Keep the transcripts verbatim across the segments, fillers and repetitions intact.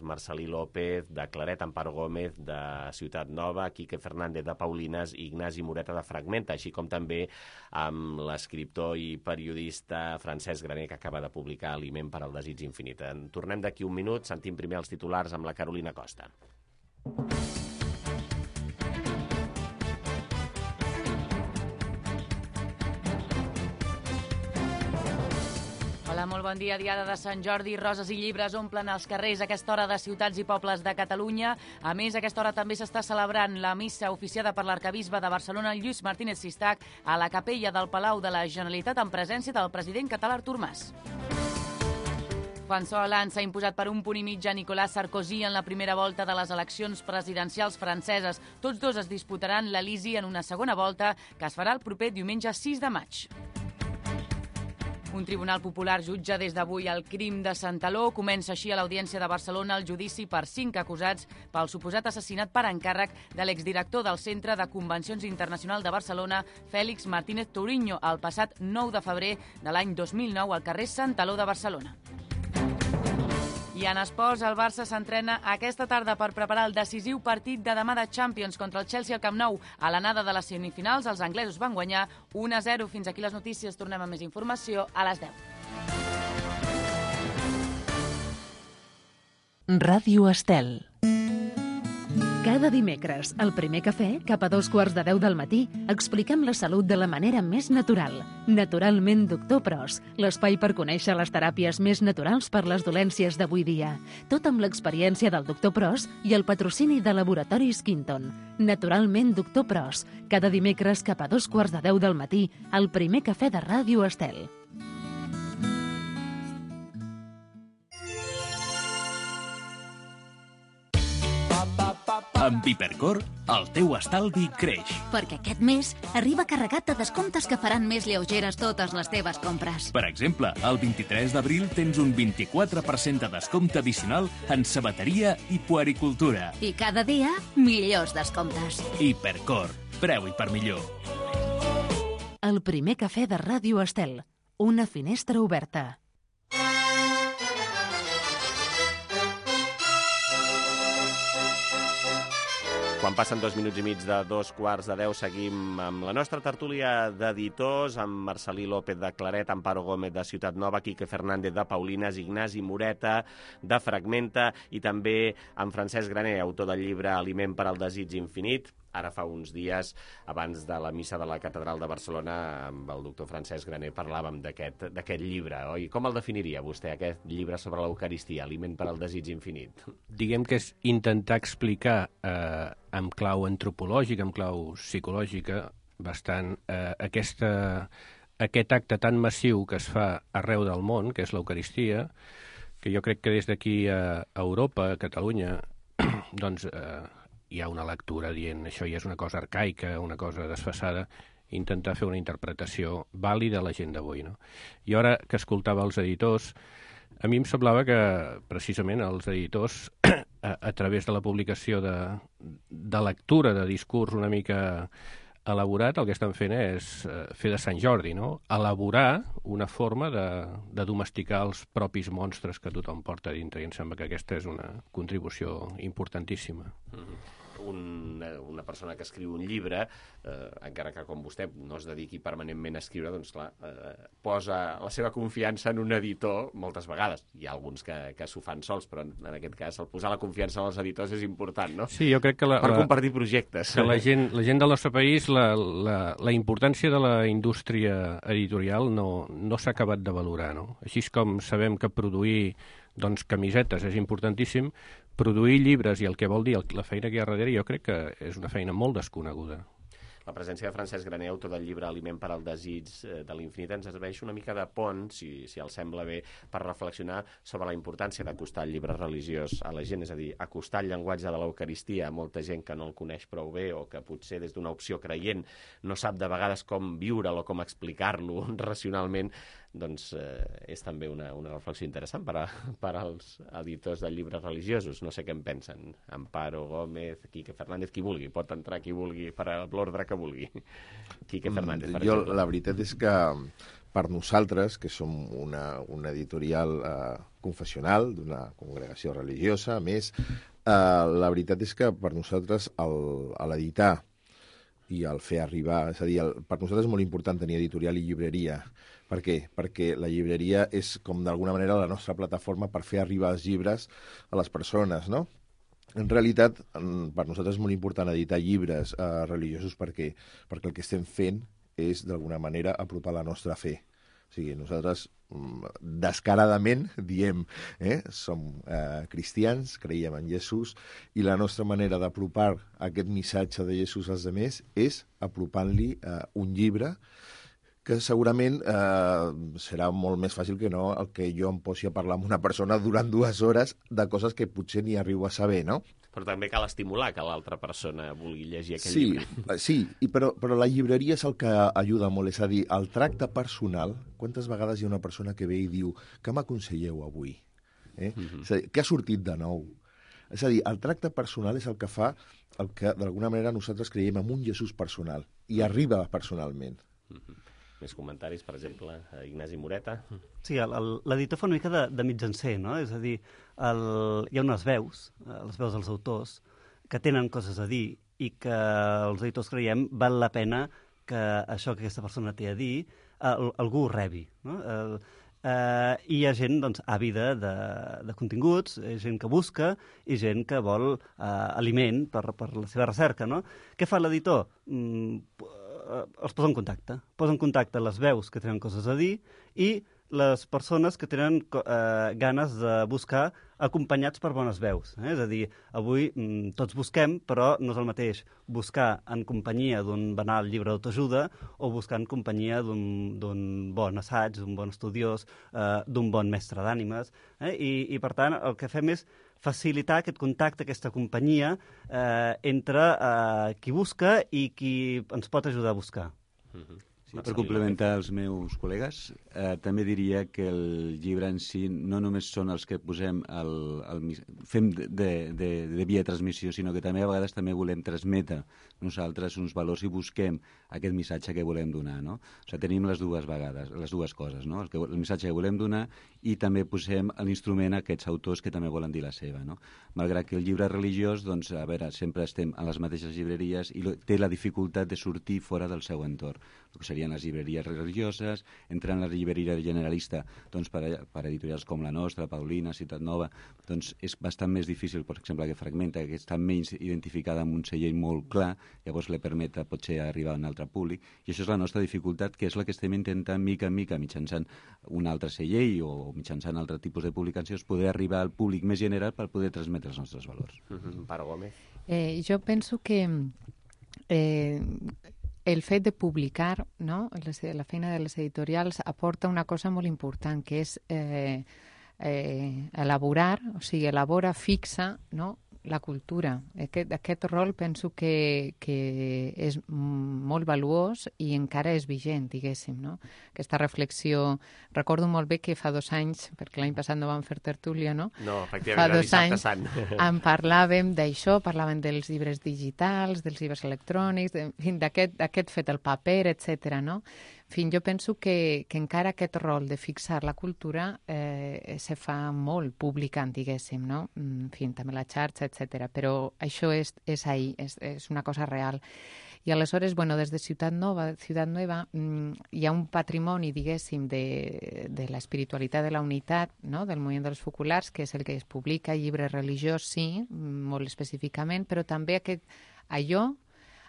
Marcelí López, de Claret, Amparo Gómez, de Ciutat Nova, Quique Fernández, de Paulines, i Ignasi Moreta, de Fragmenta, així com també amb l'escriptor i periodista Francesc Graner, que acaba de publicar Aliment per al desig infinit. En tornem d'aquí un minut, sentim primer els titulars amb la Carolina Costa. Hola, molt bon dia. Diada de Sant Jordi, roses i llibres omplen els carrers a aquesta hora de ciutats i pobles de Catalunya. A més, a aquesta hora també s'està celebrant la missa oficiada per l'arquebisbe de Barcelona, Lluís Martínez Sistac, a la capella del Palau de la Generalitat en presència del president català Artur Mas. François Hollande s'ha imposat per un punt i mig a Nicolas Sarkozy en la primera volta de les eleccions presidencials franceses. Tots dos es disputaran l'Elisi en una segona volta que es farà el proper diumenge sis de maig. Un tribunal popular jutja des d'avui el crim de Santaló. Comença així a l'Audiència de Barcelona el judici per cinc acusats pel suposat assassinat per encàrrec de l'exdirector del Centre de Convencions Internacional de Barcelona, Félix Martínez Touriño, el passat nou de febrer de l'any dos mil nou al carrer Santaló de Barcelona. I en esports, el Barça s'entrena aquesta tarda per preparar el decisiu partit de demà de Champions contra el Chelsea al Camp Nou. A l'anada de les semifinals, els anglesos van guanyar u a zero. Fins aquí les notícies. Tornem amb més informació a les deu. Ràdio Estel. Cada dimecres, al Primer Cafè, cap a dos quarts de deu del matí, expliquem la salut de la manera més natural. Naturalment Doctor Pros, l'espai per conèixer les teràpies més naturals per les dolències d'avui dia. Tot amb l'experiència del Doctor Pros i el patrocini de Laboratoris Quinton. Naturalment Doctor Pros, cada dimecres cap a dos quarts de deu del matí, al Primer Cafè de Ràdio Estel. Amb Hipercor, el teu estalvi creix. Perquè aquest mes arriba carregat de descomptes que faran més lleugeres totes les teves compres. Per exemple, el vint-i-tres d'abril tens un vint-i-quatre per cent de descompte addicional en sabateria i puericultura. I cada dia, millors descomptes. Hipercor, preu i per millor. El Primer Cafè de Ràdio Estel. Una finestra oberta. Quan passen dos minuts i mig de dos quarts de deu, seguim amb la nostra tertúlia d'editors, amb Marcelí López de Claret, Amparo Gómez de Ciutat Nova, Quique Fernández de Paulines, Ignasi Moreta de Fragmenta i també amb Francesc Graner, autor del llibre Aliment per al desig infinit. Ara fa uns dies, abans de la missa de la Catedral de Barcelona, amb el doctor Francesc Graner parlàvem d'aquest d'aquest llibre, oi? Com el definiria vostè, aquest llibre sobre l'Eucaristia, Aliment per al desig infinit? Diguem que és intentar explicar eh, amb clau antropològica, amb clau psicològica, bastant eh, aquesta, aquest acte tan massiu que es fa arreu del món, que és l'Eucaristia, que jo crec que des d'aquí a Europa, a Catalunya, doncs eh, hi ha una lectura dient això ja és una cosa arcaica, una cosa desfasada, intentar fer una interpretació vàlida a la gent d'avui, no? I ara que escoltava els editors, a mi em semblava que precisament els editors, a, a través de la publicació de, de lectura de discurs una mica elaborat, el que estan fent és fer de Sant Jordi, no? Elaborar una forma de, de domesticar els propis monstres que tothom porta dintre, i em sembla que aquesta és una contribució importantíssima. Mm-hmm. Un, una persona que escriu un llibre, eh, encara que com vostè no es dediqui permanentment a escriure, doncs clar, eh, posa la seva confiança en un editor moltes vegades. Hi ha alguns que, que s'ho fan sols, però en, en aquest cas el posar la confiança en els editors és important, no? Sí, jo crec que la, per la, compartir projectes. Que la gent, la gent del nostre país, la, la, la importància de la indústria editorial no, no s'ha acabat de valorar, no? Així com sabem que produir doncs, camisetes és importantíssim, produir llibres i el que vol dir la feina que hi ha darrere jo crec que és una feina molt desconeguda. La presència de Francesc Graner, autor del llibre Aliment per al desig de l'infinit, ens serveix una mica de pont, si, si els sembla bé, per reflexionar sobre la importància d'acostar el llibre religiós a la gent, és a dir, acostar el llenguatge de l'Eucaristia a molta gent que no el coneix prou bé o que potser des d'una opció creient no sap de vegades com viure'l o com explicar-lo racionalment, doncs eh, és també una, una reflexió interessant per, a, per als editors de llibres religiosos. No sé què en pensen. Amparo Gómez, Quique Fernández, qui vulgui. Pot entrar qui vulgui per l'ordre que vulgui. Quique Fernández, per jo, exemple. la veritat és que per nosaltres, que som una, una editorial eh, confessional d'una congregació religiosa, a més, eh, la veritat és que per nosaltres el, a l'editar i el fer arribar, és a dir, el, per nosaltres és molt important tenir editorial i llibreria. Per què? Perquè la llibreria és com d'alguna manera la nostra plataforma per fer arribar els llibres a les persones, no? En realitat, per nosaltres és molt important editar llibres eh, religiosos perquè, perquè el que estem fent és, d'alguna manera, apropar la nostra fe. O sigui, nosaltres descaradament diem, eh, som eh, cristians, creiem en Jesús, i la nostra manera d'apropar aquest missatge de Jesús als altres és apropant-li eh, un llibre que segurament eh, serà molt més fàcil que no el que jo em posi a parlar amb una persona durant dues hores de coses que potser ni arribo a saber, no? Però també cal estimular que l'altra persona vulgui llegir aquell sí, llibre. Sí, i però, però la llibreria és el que ajuda molt, és a dir, el tracte personal. Quantes vegades hi ha una persona que ve i diu què m'aconselleu avui? Eh? Mm-hmm. És a dir, què ha sortit de nou? És a dir, el tracte personal és el que fa el que, d'alguna manera, nosaltres creiem en un Jesús personal, i arriba personalment. Mm-hmm. Més comentaris, per exemple, a Ignasi Moreta. Sí, l'editor fa una mica de, de mitjancer, no? És a dir, el, hi ha unes veus, les veus dels autors, que tenen coses a dir i que els editors creiem val la pena que això que aquesta persona té a dir el, algú ho rebi, no? El, eh, I hi ha gent doncs, àvida de, de continguts, gent que busca i gent que vol eh, aliment per, per la seva recerca, no? Què fa l'editor? Mm, els posa en contacte. Posa en contacte les veus que tenen coses a dir i les persones que tenen eh, ganes de buscar acompanyats per bones veus. Eh? És a dir, avui mm, tots busquem, però no és el mateix buscar en companyia d'un banal llibre d'autoajuda o buscar en companyia d'un bon assaig, d'un bon estudiós, eh, d'un bon mestre d'ànimes. Eh? I, I, per tant, el que fem és facilitar aquest contacte, aquesta companyia eh, entre eh, qui busca i qui ens pot ajudar a buscar. Mm-hmm. Sí, per complementar els meus col·legues, eh, també diria que el llibre en si no només són els que posem el, el, fem de, de, de via de transmissió, sinó que també a vegades també volem transmetre nosaltres uns valors i busquem aquest missatge que volem donar, no? O sigui, tenim les dues vegades, les dues coses, no? El, que, el missatge que volem donar i també posem l'instrument a aquests autors que també volen dir la seva, no? Malgrat que el llibre religiós, doncs, a veure, sempre estem a les mateixes llibreries i té la dificultat de sortir fora del seu entorn, el que serien les llibreries religioses, entrant en la llibreria generalista, doncs, per, per editorials com la nostra, Paulina, Ciutat Nova, doncs és bastant més difícil, per exemple, que Fragmenta, que està menys identificada amb un celler molt clar, llavors li permet potser arribar a un altre públic, i això és la nostra dificultat, que és la que estem intentant mica en mica, mitjançant un altre celler o mitjançant altre tipus de publicacions, poder arribar al públic més general per poder transmetre els nostres valors. Mm-hmm. Pare Gómez. Eh, jo penso que eh, el fet de publicar, no? La feina de les editorials aporta una cosa molt important, que és eh, eh, elaborar, o sigui, elabora, fixa, no?, la cultura. Aquest, aquest rol penso que, que és molt valuós i encara és vigent, diguéssim, no? Aquesta reflexió... Recordo molt bé que fa dos anys, perquè l'any passat no vam fer tertúlia, no? No, efectivament, era dissabte sant. En parlàvem d'això, parlàvem dels llibres digitals, dels llibres electrònics, d'aquest fet, el paper, etcètera, no? En fi, jo penso que, que encara aquest rol de fixar la cultura eh, se fa molt publicant, diguéssim, no? En fi, també la xarxa, etcètera. Però això és, és ahí, és, és una cosa real. I aleshores, bueno, des de Ciutat Nova, Ciutat Nueva, hi ha un patrimoni, diguéssim, de, de l'espiritualitat de la unitat, no?, del moviment dels focolars, que és el que es publica, llibre religiós, sí, molt específicament, però també aquest, allò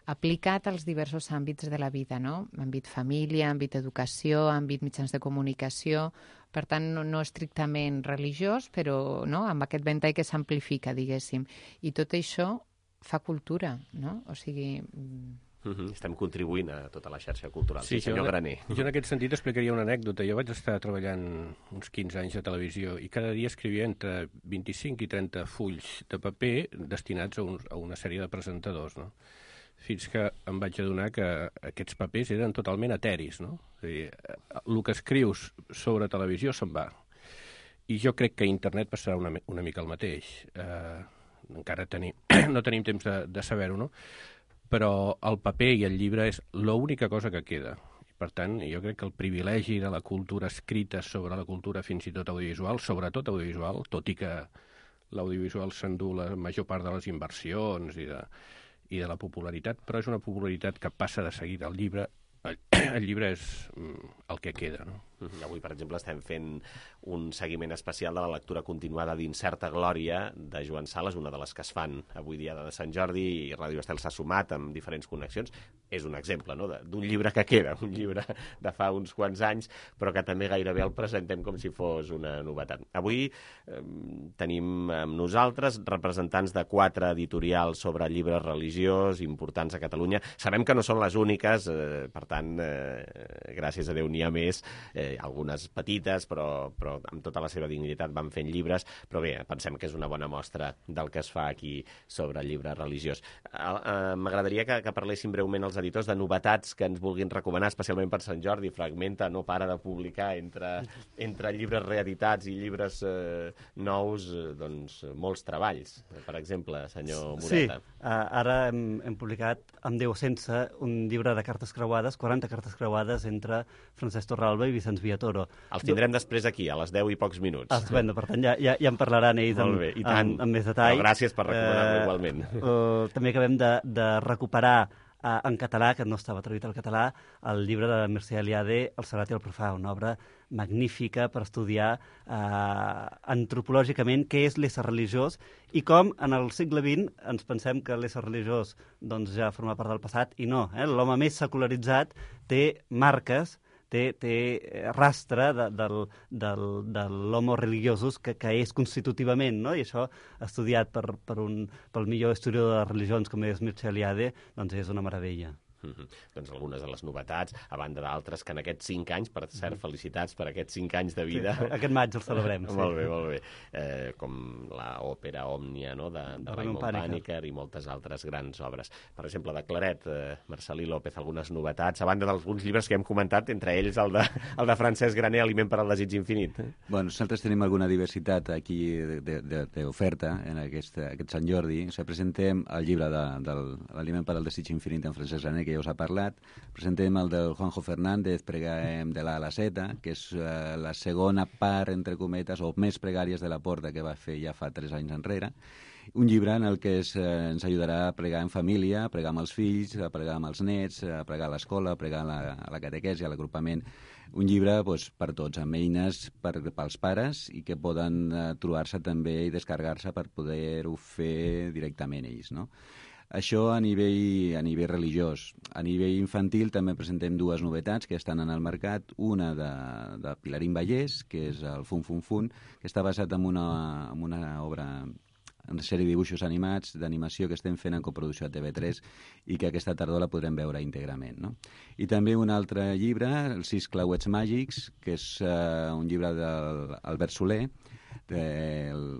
aplicat als diversos àmbits de la vida, no? Àmbit família, àmbit educació, àmbit mitjans de comunicació, per tant, no, no estrictament religiós, però no? Amb aquest ventall que s'amplifica, diguéssim. I tot això fa cultura, no? O sigui... Mm-hmm. Estem contribuint a tota la xarxa cultural. Sí, sí senyor jo, Graner. Jo en aquest sentit explicaria una anècdota. Jo vaig estar treballant uns quinze anys a televisió i cada dia escrivia entre vint-i-cinc i trenta fulls de paper destinats a, un, a una sèrie de presentadors, no? Fins que em vaig adonar que aquests papers eren totalment eteris, no? És a dir, el que escrius sobre televisió se'n va. I jo crec que internet passarà una, una mica el mateix. Eh, encara tenim, no tenim temps de, de saber-ho, no? Però el paper i el llibre és l'única cosa que queda. Per tant, jo crec que el privilegi de la cultura escrita sobre la cultura fins i tot audiovisual, sobretot audiovisual, tot i que l'audiovisual s'endú la major part de les inversions i de, i de la popularitat, però és una popularitat que passa de seguida. El llibre, el, el llibre és el que queda, no? Avui, per exemple, estem fent un seguiment especial de la lectura continuada d'Incerta Glòria de Joan Sales, una de les que es fan avui dia de Sant Jordi, i Ràdio Estel s'ha sumat amb diferents connexions. És un exemple, no?, d'un llibre que queda, un llibre de fa uns quants anys, però que també gairebé el presentem com si fos una novetat. Avui eh, tenim amb nosaltres representants de quatre editorials sobre llibre religiós importants a Catalunya. Sabem que no són les úniques, eh, per tant, eh, gràcies a Déu n'hi ha més, eh, algunes petites, però, però amb tota la seva dignitat van fent llibres, però bé, pensem que és una bona mostra del que es fa aquí sobre el llibre religiós. Eh, eh, M'agradaria que, que parlessin breument els editors de novetats que ens vulguin recomanar, especialment per Sant Jordi. Fragmenta no para de publicar entre, entre llibres reeditats i llibres eh, nous, eh, doncs, molts treballs. Per exemple, senyor Moreta. Sí, uh, ara hem, hem publicat Amb Déu sense un llibre de cartes creuades, quaranta cartes creuades entre Francesc Torralba i Vicenç Villatoro. Els tindrem després aquí, a les deu i pocs minuts. Estupendo, per tant, ja, ja, ja en parlaran ells amb, bé, amb, amb més detall. Però gràcies per recomanar-lo eh, igualment. Uh, també acabem de, de recuperar uh, en català, que no estava traduït al català, el llibre de Mercè Eliade, El Serrat i el Profà, una obra magnífica per estudiar uh, antropològicament què és l'ésser religiós i com en el segle vint ens pensem que l'ésser religiós doncs, ja forma part del passat, i no. Eh? L'home més secularitzat té marques, té, té rastre de, del, del, de l'homo religiosus que, que és constitutivament, no? I això, estudiat per, per un, pel millor historiador de religions com és Mircea Eliade, doncs és una meravella. Mm-hmm. Doncs algunes de les novetats, a banda d'altres que en aquests cinc anys, per cert, felicitats per aquests cinc anys de vida. Sí, aquest maig el celebrem. Sí. Molt bé, molt bé. Eh, com l'òpera Òmnia, no?, de, de Raimon Pàniker i moltes altres grans obres. Per exemple, de Claret, eh, Marcelí López, algunes novetats, a banda d'alguns llibres que hem comentat, entre ells el de, el de Francesc Graner, Aliment per al desig infinit. Bueno, nosaltres tenim alguna diversitat aquí d'oferta en aquest, aquest Sant Jordi. O sigui, presentem el llibre de, de l'Aliment per al desig infinit en Francesc Graner, que ja us ha parlat. Presentem el del Juanjo Fernández, Preguem de la a la Z, que és uh, la segona part, entre cometes, o més pregàries de la Porta que va fer ja fa tres anys enrere. Un llibre en el que es, eh, ens ajudarà a pregar en família, a pregar amb els fills, a pregar amb els nets, a pregar a l'escola, a pregar a la, a la catequesi, a l'agrupament. Un llibre doncs, per tots, amb eines per, pels pares i que poden eh, trobar-se també i descarregar-se per poder-ho fer directament ells, no? Això a nivell, a nivell religiós. A nivell infantil també presentem dues novetats que estan en el mercat. Una de, de Pilarín Vallès, que és el Fun Fun Fun, que està basat en una, en una obra, en una sèrie de dibuixos animats, d'animació que estem fent en coproducció a T V tres i que aquesta tardor la podrem veure íntegrament, no? I també un altre llibre, Els sis clauets màgics, que és uh, un llibre d'Albert Soler, de,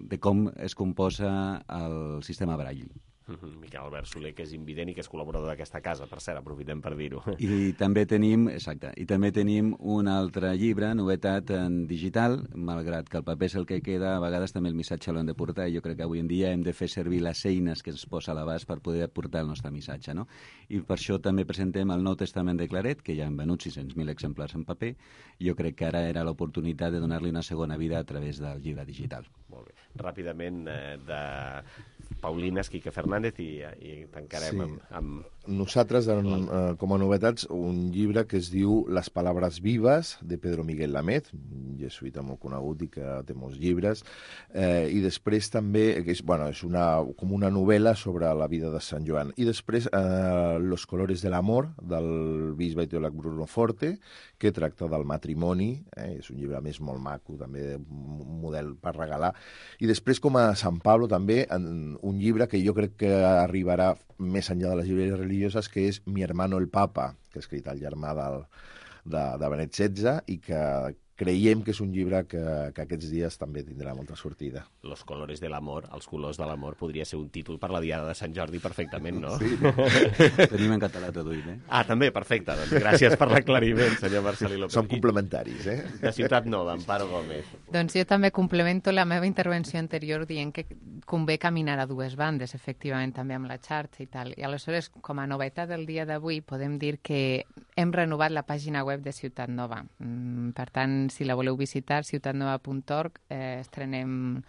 de com es composa el sistema Braille. Miquel Albert Soler, que és invident i que és col·laborador d'aquesta casa, per cert, aprofitem per dir-ho. I també tenim, exacte, i també tenim un altre llibre, novetat en digital, malgrat que el paper és el que queda, a vegades també el missatge l'hem de portar, i jo crec que avui en dia hem de fer servir les eines que ens posa a l'abast per poder portar el nostre missatge, no? I per això també presentem el Nou Testament de Claret, que ja han venut sis-cents mil exemplars en paper, i jo crec que ara era l'oportunitat de donar-li una segona vida a través del llibre digital. Molt bé. Ràpidament, eh, de Paulina Esquique Fernández i, i tancarem sí. amb, amb... Nosaltres, en, eh, com a novetats, un llibre que es diu Les palabras vivas, de Pedro Miguel Lamed, un jesuïta molt conegut i que té molts llibres, eh, i després també, que és, bueno, és una, com una novel·la sobre la vida de Sant Joan. I després, eh, Los colores del amor, del bisbe i teòleg Bruno Forte, que tracta del matrimoni, eh, és un llibre més molt maco, també un model per regalar. I després, com a Sant Pablo, també, en, un llibre que jo crec que arribarà més enllà de les llibreries religioses, que és Mi hermano el Papa, que ha escrit el germà del, de, de Benet setze, i que creiem que és un llibre que, que aquests dies també tindrà molta sortida. Los colores de l'amor, els colors de l'amor, podria ser un títol per la diada de Sant Jordi perfectament, no? Sí. Tenim en català traduït, eh? Ah, també, perfecte. Doncs gràcies per l'aclariment, senyor Marcelí López. Som complementaris, eh? De Ciutat Nova, Amparo Gómez. Doncs jo també complemento la meva intervenció anterior dient que convé caminar a dues bandes, efectivament, també amb la xarxa i tal. I aleshores, com a novetat del dia d'avui, podem dir que hem renovat la pàgina web de Ciutat Nova. Mm, per tant, si la voleu visitar, ciutat nova punt org, eh, estrenem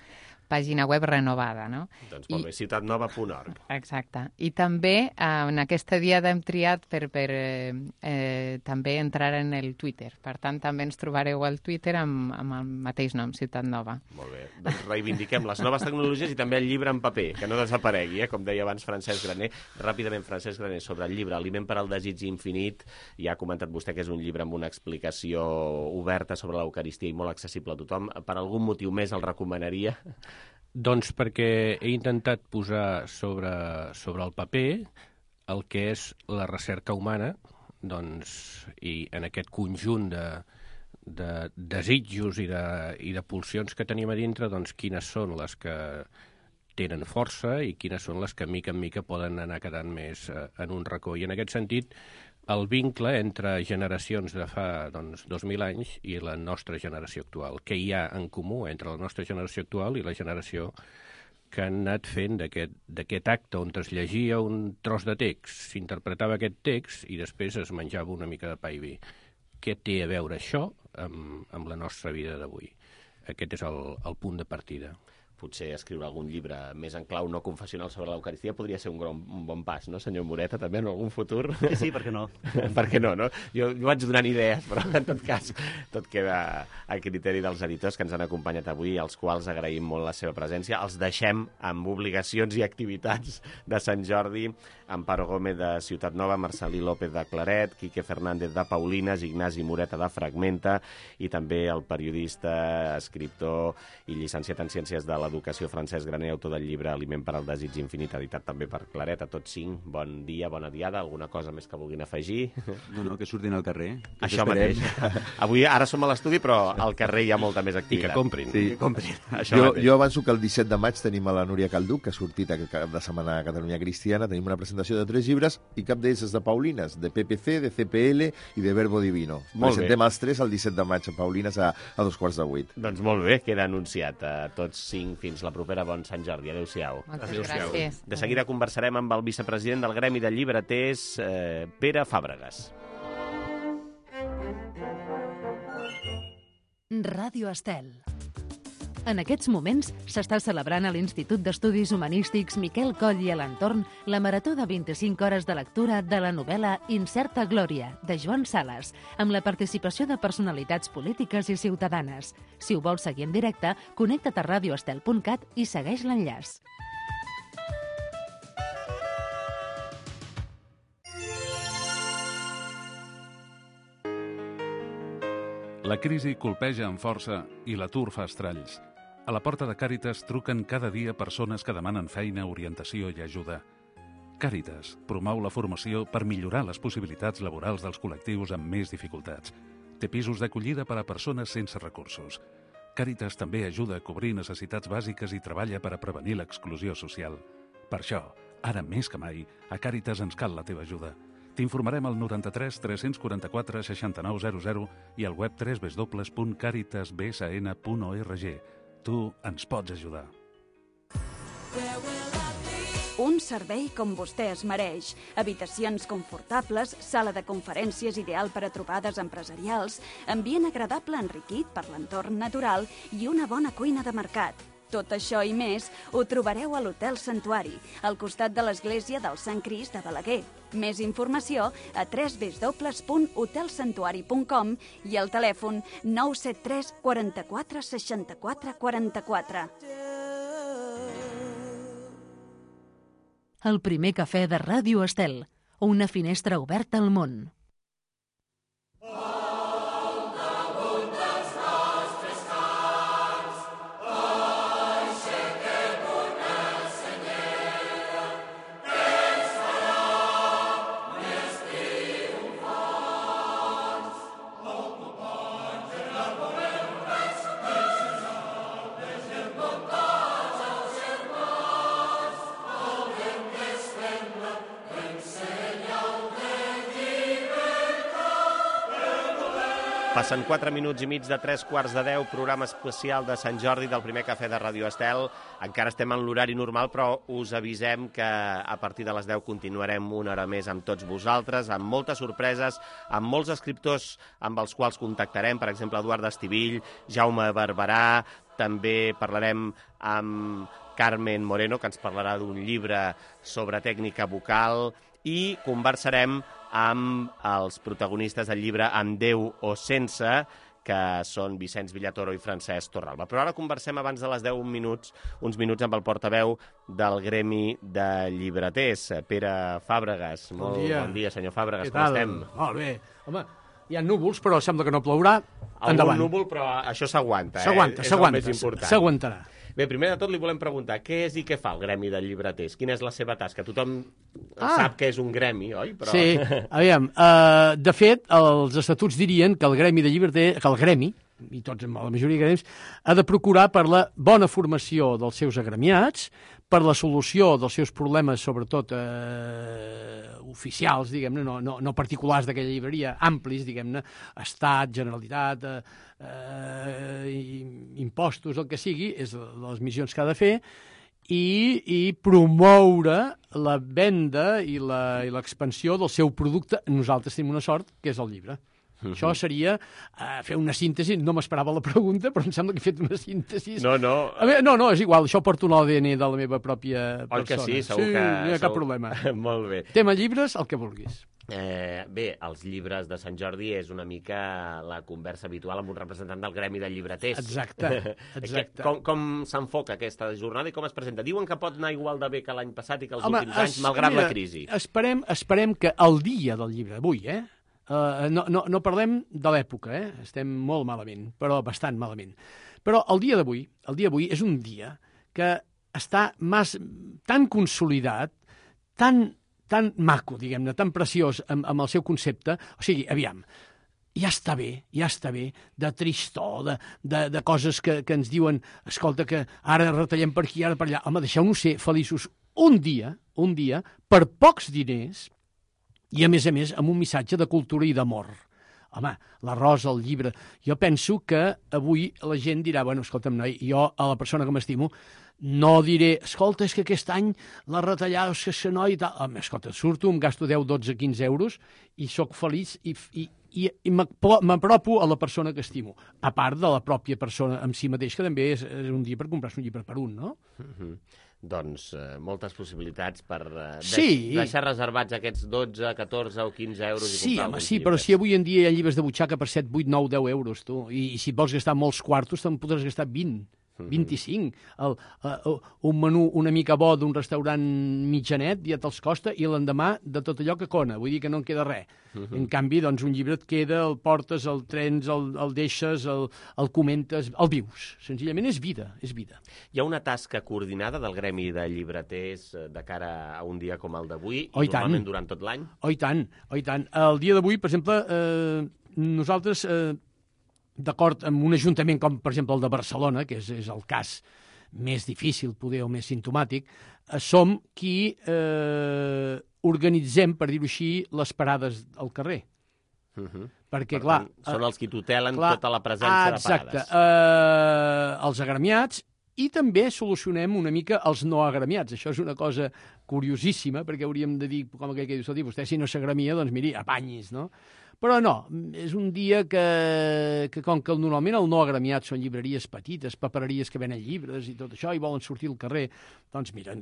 pàgina web renovada, no? Doncs molt bé, ciutat nova punt org. Exacte. I també eh, en aquesta diada hem triat per, per eh, eh, també entrar en el Twitter. Per tant, també ens trobareu al Twitter amb, amb el mateix nom, Ciutat Nova. Molt bé. Doncs reivindiquem les noves tecnologies i també el llibre en paper, que no desaparegui, eh? Com deia abans Francesc Graner. Ràpidament, Francesc Graner, sobre el llibre Aliment per al desig infinit. Ja ha comentat vostè que és un llibre amb una explicació oberta sobre l'Eucaristia i molt accessible a tothom. Per algun motiu més el recomanaria? Doncs perquè he intentat posar sobre, sobre el paper el que és la recerca humana, doncs, i en aquest conjunt de, de desitjos i de, i de pulsions que tenim a dintre, doncs quines són les que tenen força i quines són les que mica en mica poden anar quedant més eh, en un racó. I en aquest sentit, el vincle entre generacions de fa doncs, dos mil anys i la nostra generació actual. Què hi ha en comú entre la nostra generació actual i la generació que han anat fent d'aquest acte on es llegia un tros de text, s'interpretava aquest text i després es menjava una mica de pa i vi. Què té a veure això amb, amb la nostra vida d'avui? Aquest és el, el punt de partida. Potser escriure algun llibre més en clau no confessional sobre l'Eucaristia podria ser un, gran, un bon pas, no, senyor Moreta, també en algun futur? Sí, sí, per què no? Per què no, no? Jo, jo vaig donant idees, però en tot cas tot queda a criteri dels editors que ens han acompanyat avui, als quals agraïm molt la seva presència. Els deixem amb obligacions i activitats de Sant Jordi, Amparo Gómez de Ciutat Nova, Marcelí López de Claret, Quique Fernández de Paulines, Ignasi Moreta de Fragmenta i també el periodista, escriptor i llicenciat en Ciències de l'Educació Francesc Graner, autor del llibre Aliment per al desig infinit, editat també per Claret. A tots cinc, bon dia, bona diada. Alguna cosa més que vulguin afegir? No, no, que surtin al carrer. Això mateix. Avui, ara som a l'estudi, però al carrer hi ha molta més activitat. I que comprin. Sí. Que comprin. Jo, jo avanço que el disset de maig tenim a la Núria Calduc, que ha sortit aquest cap de setmana a Catalunya Cristiana. Tenim una presentació de tres llibres i cap d'ells és de Paulines, de P P C, de C P L i de Verbo Divino. Molt Presentem bé. els tres el disset de maig a Paulines a, a dos quarts de vuit. Doncs molt bé, queda anunciat a tots cinc. Fins la propera. Bon Sant Jordi. Adéu-siau. Moltes gràcies. De seguida conversarem amb el vicepresident del Gremi de Llibreters, eh, Pere Fàbregas. Ràdio Estel. En aquests moments s'està celebrant a l'Institut d'Estudis Humanístics Miquel Coll i a l'entorn la marató de vint-i-cinc hores de lectura de la novel·la Incerta Glòria, de Joan Sales, amb la participació de personalitats polítiques i ciutadanes. Si ho vols seguir en directe, connecta't a radioestel punt cat i segueix l'enllaç. La crisi colpeja amb força i l'atur fa estralls. A la porta de Càritas truquen cada dia persones que demanen feina, orientació i ajuda. Càritas promou la formació per millorar les possibilitats laborals dels col·lectius amb més dificultats. Té pisos d'acollida per a persones sense recursos. Càritas també ajuda a cobrir necessitats bàsiques i treballa per a prevenir l'exclusió social. Per això, ara més que mai, a Càritas ens cal la teva ajuda. T'informarem al noranta-tres tres quaranta quatre seixanta-nou zero zero i al web w w w punt caritas b s n punt org. Tu ens pots ajudar. Un servei com vostè es mereix. Habitacions confortables, sala de conferències ideal per a trobades empresarials, ambient agradable enriquit per l'entorn natural i una bona cuina de mercat. Tot això i més ho trobareu a l'Hotel Santuari, al costat de l'església del Sant Crist de Balaguer. Més informació a w w w punt hotel santuari punt com i al telèfon nou set tres quaranta-quatre seixanta-quatre quaranta-quatre. El primer cafè de Ràdio Estel, una finestra oberta al món. Enseña Passen quatre minuts i mig de tres quarts de deu, programa especial de Sant Jordi del primer cafè de Radio Estel. Encara estem en l'horari normal, però us avisem que a partir de les deu continuarem una hora més amb tots vosaltres, amb moltes sorpreses, amb molts escriptors amb els quals contactarem, per exemple, Eduard Estivill, Jaume Barberà, també parlarem amb Carmen Moreno, que ens parlarà d'un llibre sobre tècnica vocal, i conversarem amb els protagonistes del llibre Amb Déu o Sense, que són Vicenç Villatoro i Francesc Torralba. Però ara conversem abans de les deu minuts, uns minuts amb el portaveu del Gremi de Llibreters, Pere Fàbregas. Bon Molt dia. bon dia, senyor Fàbregas, Què com tal? estem? Molt bé. Home, hi ha núvols, però sembla que no plourà. Algun Endavant. núvol, però això s'aguanta, eh? S'aguanta, És el s'aguanta, més important. s'aguantarà. Bé, primer de tot li volem preguntar què és i què fa el Gremi de Llibreters? Quina és la seva tasca? Tothom Ah. sap que és un gremi, oi? Però... Sí, aviam, uh, de fet, els estatuts dirien que el Gremi de Llibreters, que el Gremi, i tots, la majoria de gremis, ha de procurar per la bona formació dels seus agremiats, per la solució dels seus problemes, sobretot eh, oficials, diguem-ne, no, no, no particulars d'aquella llibreria, amplis, diguem-ne, Estat, Generalitat, eh, eh, impostos, el que sigui, és les missions que ha de fer, i, i promoure la venda i l'expansió del seu producte. Nosaltres tenim una sort, que és el llibre. Uh-huh. Això seria uh, fer una síntesi. No m'esperava la pregunta, però em sembla que he fet una síntesi. No, no. A veure, no, no, és igual, això porto l'A D N de la meva pròpia persona. Oi que sí? Segur sí, que... no hi ha cap segur... problema. Molt bé. Tema llibres, el que vulguis. Eh, bé, els llibres de Sant Jordi és una mica la conversa habitual amb un representant del Gremi de Llibreters. Exacte, exacte. Com, com s'enfoca aquesta jornada i com es presenta? Diuen que pot anar igual de bé que l'any passat i que els Home, últims anys, es, malgrat mira, la crisi. Esperem, esperem que el dia del llibre, avui, eh? Uh, no, no, no parlem de l'època, eh? Estem molt malament, però bastant malament. Però el dia d'avui, el dia d'avui és un dia que està mas, tan consolidat, tan, tan maco, diguem-ne, tan preciós amb, amb el seu concepte. O sigui, aviam, ja està bé, ja està bé de tristor, de, de, de coses que, que ens diuen, escolta, que ara retallem per aquí, ara per allà. Home, deixeu-nos ser feliços un dia, un dia, per pocs diners, i, a més a més, amb un missatge de cultura i d'amor. Home, la rosa, el llibre... Jo penso que avui la gent dirà, bueno, escolta'm, noi, jo a la persona que m'estimo no diré, escolta, és que aquest any la retallada, és que això, noi, i tal... Home, escolta, surto, em gasto deu, dotze, quinze euros i sóc feliç i, i, i, i m'apropo a la persona que estimo. A part de la pròpia persona en si mateix, que també és, és un dia per comprar-se un llibre per un, no? Mm-hmm. Doncs eh, moltes possibilitats per eh, sí. deix, deixar reservats aquests dotze, catorze o quinze euros i sí, comprar home, alguns sí, llibres. però si avui en dia hi ha llibres de butxaca per set, vuit, nou, deu euros, tu, i, i si vols gastar molts quartos, te'n podràs gastar vint. vint-i-cinc. El, uh, un menú una mica bo d'un restaurant mitjanet ja te'ls costa i l'endemà de tot allò que cona. Vull dir que no en queda res. Uh -huh. En canvi, doncs, un llibre et queda, el portes, el trens, el, el deixes, el, el comentes, el vius. Senzillament és vida, és vida. Hi ha una tasca coordinada del Gremi de Llibreters de cara a un dia com el d'avui, oh, i normalment tant. durant tot l'any? Oh, i tant, oh, i tant. El dia d'avui, per exemple, eh, nosaltres... Eh, d'acord amb un ajuntament com, per exemple, el de Barcelona, que és, és el cas més difícil, poder, o més simptomàtic, eh, som qui eh, organitzem, per dir-ho així, les parades al carrer. Uh -huh. Perquè, per clar... Tant, són els qui tutelen clar, tota la presència exacte, de parades. Eh, els agremiats, i també solucionem una mica els no agremiats. Això és una cosa curiosíssima, perquè hauríem de dir, com aquell que diu, escolti, vostè si no s'agremia, doncs miri, apanyis, no? Però no, és un dia que, que com que normalment el no agremiat són llibreries petites, papereries que venen llibres i tot això, i volen sortir al carrer, doncs mira,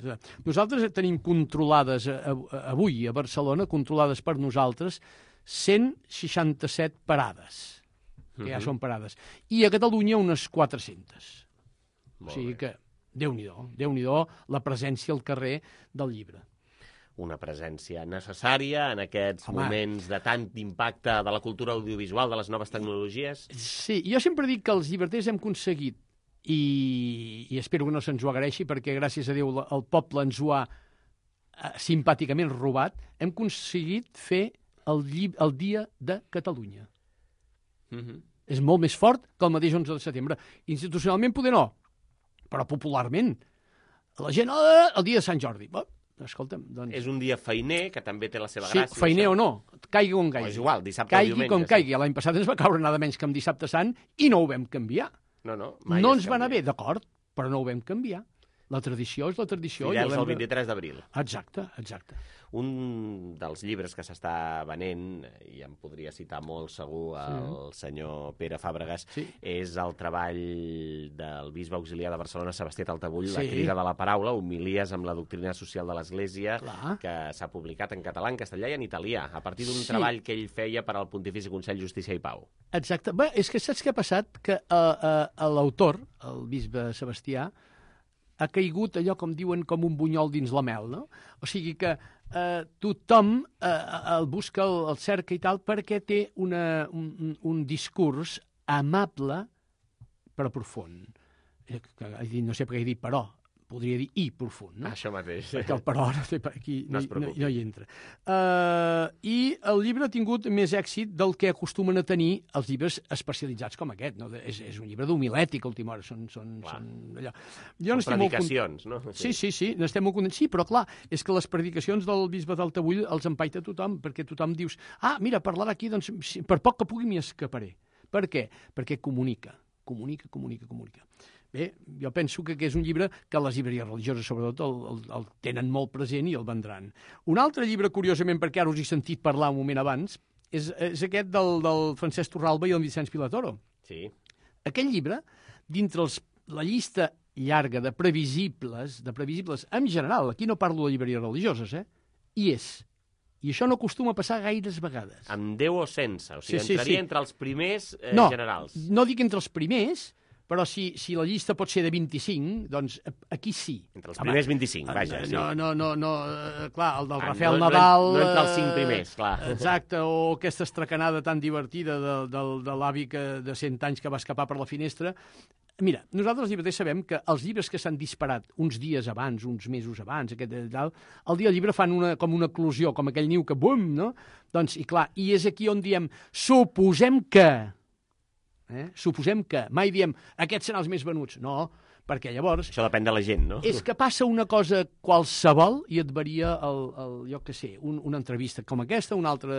nosaltres tenim controlades avui a Barcelona, controlades per nosaltres, cent seixanta-set parades, que uh-huh. ja són parades, i a Catalunya unes quatre-centes. O sigui que, Déu-n'hi-do, Déu-n'hi-do la presència al carrer del llibre. Una presència necessària en aquests Home. moments de tant impacte de la cultura audiovisual, de les noves tecnologies? Sí, jo sempre dic que els llibreters hem aconseguit, i, i espero que no se'ns ho agraeixi, perquè gràcies a Déu el poble ens ho ha eh, simpàticament robat, hem aconseguit fer el, llib el Dia de Catalunya. Mm-hmm. És molt més fort que el mateix onze de setembre. Institucionalment poder no, però popularment. La gent, oh, el dia de Sant Jordi, escolta'm, doncs... És un dia feiner, que també té la seva Sí, gràcia. feiner això. o no, caigui com caigui. O és igual, dissabte o caigui diumenge. com sí. caigui. L'any passat ens va caure nada menys que amb dissabte sant i no ho vam canviar. No, no, mai No es ens va anar canvia. bé, d'acord, però no ho vam canviar. La tradició és la tradició. Fidels i l'hem al de- vint-i-tres d'abril. Exacte, exacte. Un dels llibres que s'està venent, i em podria citar molt segur el Sí. senyor Pere Fàbregas, Sí. és el treball del bisbe auxiliar de Barcelona, Sebastià Taltabull, La Sí. crida de la paraula, homilies amb la doctrina social de l'Església, Clar. que s'ha publicat en català, en castellà i en italià, a partir d'un Sí. treball que ell feia per al Pontifici Consell Justícia i Pau. Exacte. Bé, és que saps què ha passat? Que uh, uh, l'autor, el bisbe Sebastià, ha caigut allò, com diuen, com un bunyol dins la mel, no? O sigui que eh, tothom eh, el busca, el, el cerca i tal, perquè té una, un, un discurs amable però profund. Eh, que, he dit, no sé per què he dit però, podria dir i profund, no? Això mateix. Perquè el però ara aquí No no, es no, preocupi. no hi entra. Uh, I el llibre ha tingut més èxit del que acostumen a tenir els llibres especialitzats com aquest. No? És, és un llibre d'homilètic, a última hora. Són, són, són allò. Jo Són n'estic molt cont- predicacions, no? Sí, sí, sí, n'estem molt contents. Sí, però clar, és que les predicacions del bisbe d'Altabull els empaita tothom, perquè tothom dius, ah, mira, parlarà aquí, doncs sí, per poc que pugui m'hi escaparé. Per què? Perquè comunica, comunica, comunica, comunica. Bé, jo penso que és un llibre que les llibreries religioses, sobretot, el, el, el tenen molt present i el vendran. Un altre llibre, curiosament, perquè ara us he sentit parlar un moment abans, és, és aquest del, del Francesc Torralba i el Vicenç Pilatoro. Sí. Aquest llibre, dintre els, la llista llarga de previsibles, de previsibles en general, aquí no parlo de llibreries religioses, eh? Hi és. I això no acostuma a passar gaires vegades. Amb Déu o sense? O sigui, Sí, sí, entraria sí. entre els primers eh, no, generals. No dic entre els primers, però si, si la llista pot ser de vint-i-cinc, doncs aquí sí. Entre els primers vint-i-cinc, vaja, sí. No, no, no, no eh, clar, el del Ah, Rafael no- no- Nadal... no entre els cinc eh, primers, clar. Exacte, o aquesta estracanada tan divertida de, de, de l'avi que, de cent anys que va escapar per la finestra. Mira, nosaltres els llibreters sabem que els llibres que s'han disparat uns dies abans, uns mesos abans, aquest i tal, el dia del llibre fan una, com una eclosió, com aquell niu que bum, no? Doncs, i clar, i és aquí on diem, suposem que... Eh? Suposem que, mai diem, aquests seran els més venuts. No, perquè llavors... Això depèn de la gent, no? És que passa una cosa qualsevol i et varia, el, el, jo què sé, un, una entrevista com aquesta, una altra...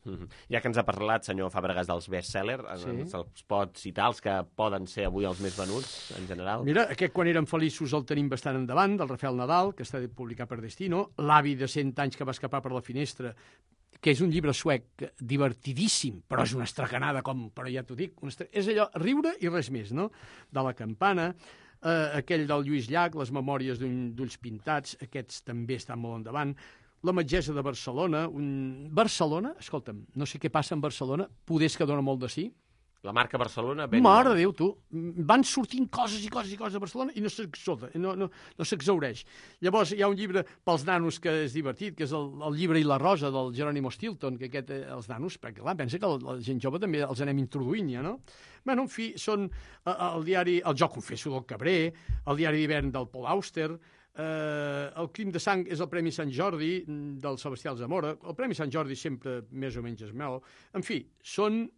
Mm -hmm. Ja que ens ha parlat, senyor Fàbregas, dels bestsellers, Sí. ens els pot citar, els que poden ser avui els més venuts, en general? Mira, aquest Quan érem feliços el tenim bastant endavant, del Rafael Nadal, que està publicat per Destino, L'avi de cent anys que va escapar per la finestra, que és un llibre suec divertidíssim, però és una estracanada, com, però ja t'ho dic, una estra... és allò, riure i res més, no? De la campana, eh, aquell del Lluís Llach, les memòries d'ulls pintats, aquests també estan molt endavant, la metgessa de Barcelona, un... Barcelona, escolta'm, no sé què passa en Barcelona, poders que dona molt de sí. La marca Barcelona... Ben Mare de Déu, tu, van sortint coses i coses i coses de Barcelona i no s'exoda, no, no, no s'exhaureix. Llavors hi ha un llibre pels nanos que és divertit, que és el, el llibre i la rosa del Jerónimo Stilton, que aquest, eh, els nanos, perquè clar, pensa que la, la gent jove també els anem introduint ja, no? Bueno, en fi, són eh, el diari, el Jo confesso del Cabré, el diari d'hivern del Paul Auster, eh, el Crim de sang és el Premi Sant Jordi del Sebastià Alzamora, el Premi Sant Jordi sempre més o menys es meu, en fi, són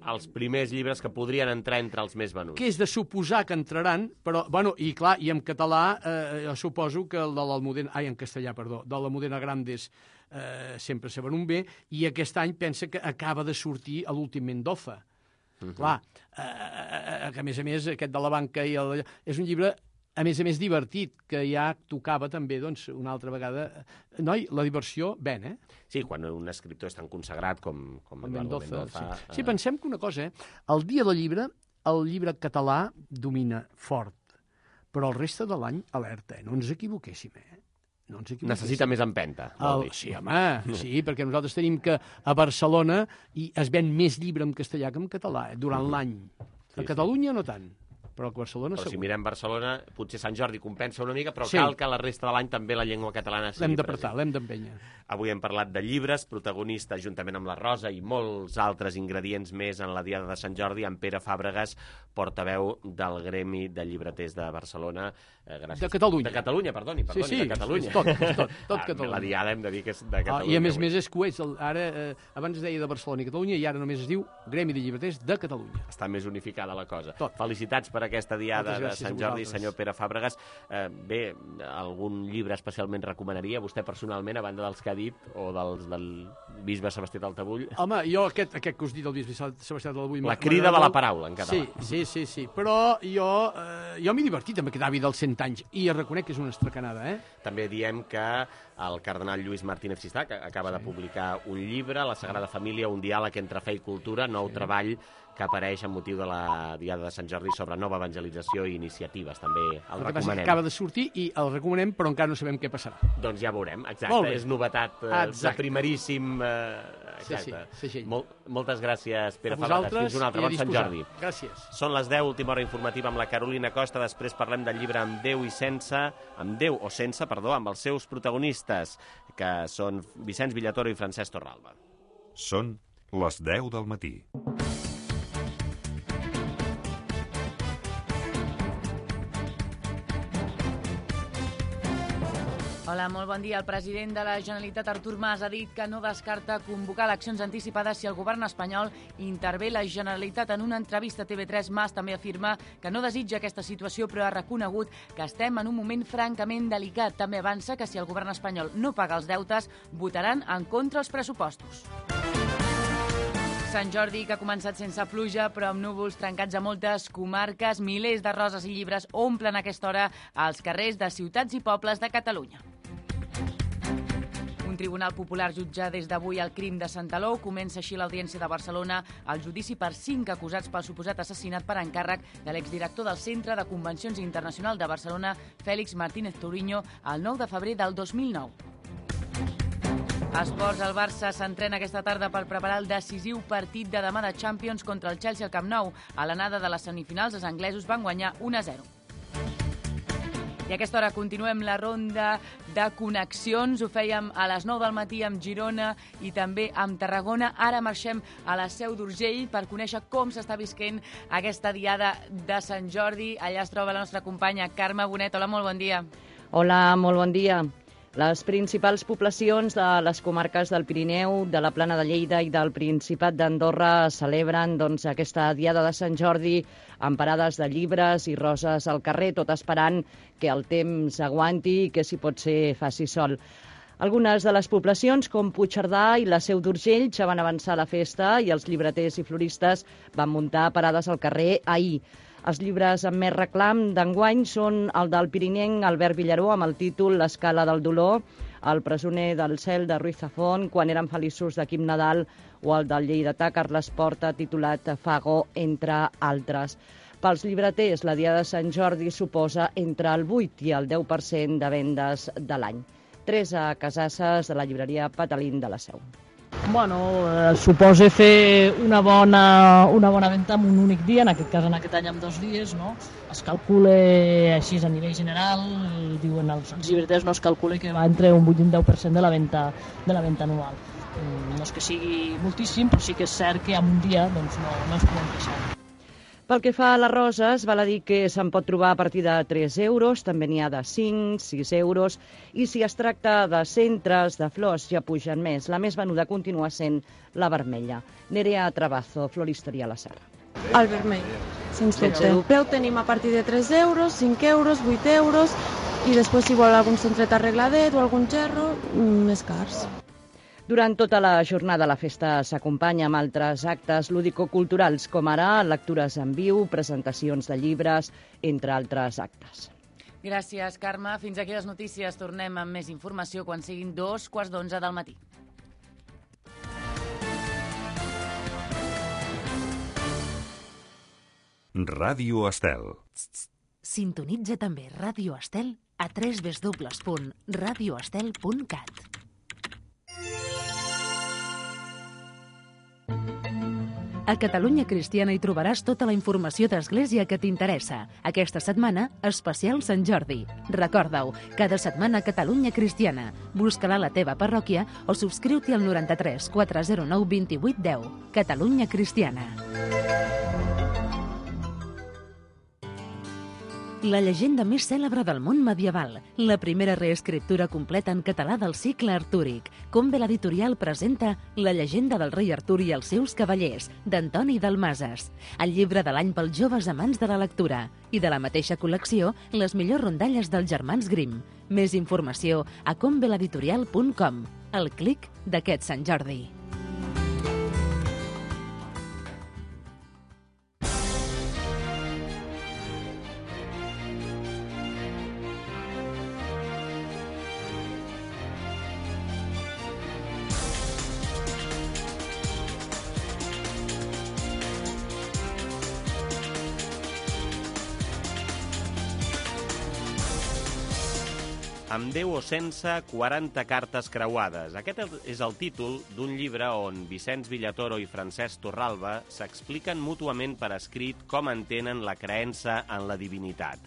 els primers llibres que podrien entrar entre els més venuts. que és de suposar que entraran, però, bueno, i clar, i en català, eh, jo suposo que el de l'Almudena, ai, en castellà, perdó, de l'Almudena Grandes eh, sempre se ven un bé, i aquest any pensa que acaba de sortir a l'últim Mendoza. Uh -huh. Clar, eh, que a més a més, aquest de la banca i el, és un llibre a més a més divertit, que ja tocava també, doncs, una altra vegada... Noi, la diversió ven, eh? Sí, quan un escriptor és tan consagrat com, com El Eduardo Mendoza, Mendoza... sí. sí, pensem que una cosa, eh? El dia del llibre, el llibre català domina fort, però el reste de l'any, alerta, eh? No ens equivoquéssim, eh? No ens equivoquéssim. Necessita més empenta, vol El, dir. sí, home, sí, perquè nosaltres tenim que a Barcelona i es ven més llibre en castellà que en català, eh? Durant l'any. Sí, A Catalunya no tant, però a Barcelona Però si segur. mirem Barcelona, potser Sant Jordi compensa una mica, però Sí. cal que la resta de l'any també la llengua catalana sigui L'hem d'apretar, present. l'hem d'empènyer. Avui hem parlat de llibres, protagonista juntament amb la Rosa i molts altres ingredients més en la Diada de Sant Jordi, en Pere Fàbregas, portaveu del Gremi de Llibreters de Barcelona. Eh, gràcies. De Catalunya. De Catalunya, perdoni, perdoni, Sí, sí, de Catalunya. és tot, és tot, tot Ah, Catalunya. La Diada hem de dir que és de Ah, Catalunya. I a més a avui. més és que és, el, ara, eh, abans es deia de Barcelona i Catalunya i ara només es diu Gremi de Llibreters de Catalunya. Està més unificada la cosa. Tot. Felicitats per per aquesta diada de Sant Jordi, vosaltres. senyor Pere Fàbregas. Eh, bé, algun llibre especialment recomanaria vostè personalment, a banda dels que ha dit, o dels del bisbe Sebastià d'Altabull? Home, jo aquest, aquest que us dit del bisbe Sebastià d'Altabull... La crida de la paraula, en català. Sí, sí, sí, sí. Però jo, eh, jo m'he divertit amb aquest avi dels cent anys i reconec que és una estracanada, eh? També diem que el cardenal Lluís Martínez Sistà, que acaba de publicar un llibre, La Sagrada Família, un diàleg entre fe i cultura, nou treball que apareix amb motiu de la Diada de Sant Jordi sobre nova evangelització i iniciatives. També el, el recomanem. Acaba de sortir i el recomanem, però encara no sabem què passarà. Doncs ja veurem, exacte. És novetat eh, de primeríssim... Eh, exacte. Sí, sí, sí. Mol, moltes gràcies, Pere a vosaltres, Fàbregas. Fins un altre. Bon Sant Jordi. Gràcies. Són les deu, última hora informativa amb la Carolina Costa. Després parlem del llibre Amb Déu i sense, amb Déu o sense, perdó, amb els seus protagonistes, que són Vicenç Villatoro i Francesc Torralba. Són les deu del matí. Hola, molt bon dia. El president de la Generalitat, Artur Mas, ha dit que no descarta convocar eleccions anticipades si el govern espanyol intervé la Generalitat. En una entrevista a T V tres, Mas també afirma que no desitja aquesta situació, però ha reconegut que estem en un moment francament delicat. També avança que si el govern espanyol no paga els deutes, votaran en contra els pressupostos. Sant Jordi, que ha començat sense pluja, però amb núvols trencats a moltes comarques, milers de roses i llibres omplen a aquesta hora als carrers de ciutats i pobles de Catalunya. Un tribunal popular jutja des d'avui el crim de Santaló. Comença així l'audiència de Barcelona al judici per cinc acusats pel suposat assassinat per encàrrec de l'exdirector del Centre de Convencions Internacional de Barcelona, Fèlix Martínez Touriño, el nou de febrer del dos mil nou. Esports, el Barça s'entrena aquesta tarda per preparar el decisiu partit de demà de Champions contra el Chelsea al Camp Nou. A l'anada de les semifinals, els anglesos van guanyar un a zero. I a aquesta hora continuem la ronda de connexions. Ho fèiem a les nou del matí amb Girona i també amb Tarragona. Ara marxem a la Seu d'Urgell per conèixer com s'està visquent aquesta diada de Sant Jordi. Allà es troba la nostra companya Carme Bonet. Hola, molt bon dia. Hola, molt bon dia. Les principals poblacions de les comarques del Pirineu, de la Plana de Lleida i del Principat d'Andorra celebren doncs, aquesta diada de Sant Jordi amb parades de llibres i roses al carrer, tot esperant que el temps aguanti i que, si pot ser, faci sol. Algunes de les poblacions, com Puigcerdà i la Seu d'Urgell, ja van avançar la festa i els llibreters i floristes van muntar parades al carrer ahir. Els llibres amb més reclam d'enguany són el del pirinenc Albert Villaró amb el títol L'escala del dolor, El presoner del cel de Ruiz Zafón, Quan eren feliços de Quim Nadal, o el del lleidatà Carles Porta titulat Fago, entre altres. Pels llibreters, la diada de Sant Jordi suposa entre el vuit i el deu per cent de vendes de l'any. Teresa Casasses, de la llibreria Patalín de la Seu. Bueno, eh, suposa fer una bona, una bona venda en un únic dia, en aquest cas en aquest any amb dos dies, no? Es calcula així a nivell general, diuen els, els llibreters, no es calcula que va entre un vuit i un deu per cent de la venda, de la venda anual. No és que sigui moltíssim, però sí que és cert que en un dia doncs, no, no ens podem queixar. Pel que fa a les roses, val a dir que se'n pot trobar a partir de tres euros, també n'hi ha de cinc, sis euros, i si es tracta de centres, de flors, ja pugen més. La més venuda continua sent la vermella. Nerea Trabazo, floristeria a la Serra. El vermell, sense dubte. El preu tenim a partir de tres euros, cinc euros, vuit euros, i després si vol algun centret arregladet o algun gerro, més cars. Durant tota la jornada la festa s'acompanya amb altres actes lúdico-culturals, com ara lectures en viu, presentacions de llibres, entre altres actes. Gràcies, Carme. Fins aquí les notícies. Tornem amb més informació quan siguin dos quarts d'onze del matí. Ràdio Estel. Sintonitza també Ràdio Estel a w w w punt radio estel punt cat. A Catalunya Cristiana hi trobaràs tota la informació d'Església que t'interessa. Aquesta setmana, especial Sant Jordi. Recorda-ho, cada setmana a Catalunya Cristiana. Busca-la a la teva parròquia o subscriu-t'hi al noranta-tres quatre zero nou vint vuit deu. Catalunya Cristiana. la llegenda més cèlebre del món medieval, la primera reescriptura completa en català del cicle artúric. Combe l'editorial presenta La llegenda del rei Artur i els seus cavallers, d'Antoni Dalmases. El llibre de l'any pels joves amants de la lectura. I de la mateixa col·lecció, les millors rondalles dels germans Grimm. Més informació a combe l'editorial punt com. El clic d'aquest Sant Jordi. Amb Déu o sense, quaranta cartes creuades. Aquest és el títol d'un llibre on Vicenç Villatoro i Francesc Torralba s'expliquen mútuament per escrit com entenen la creença en la divinitat.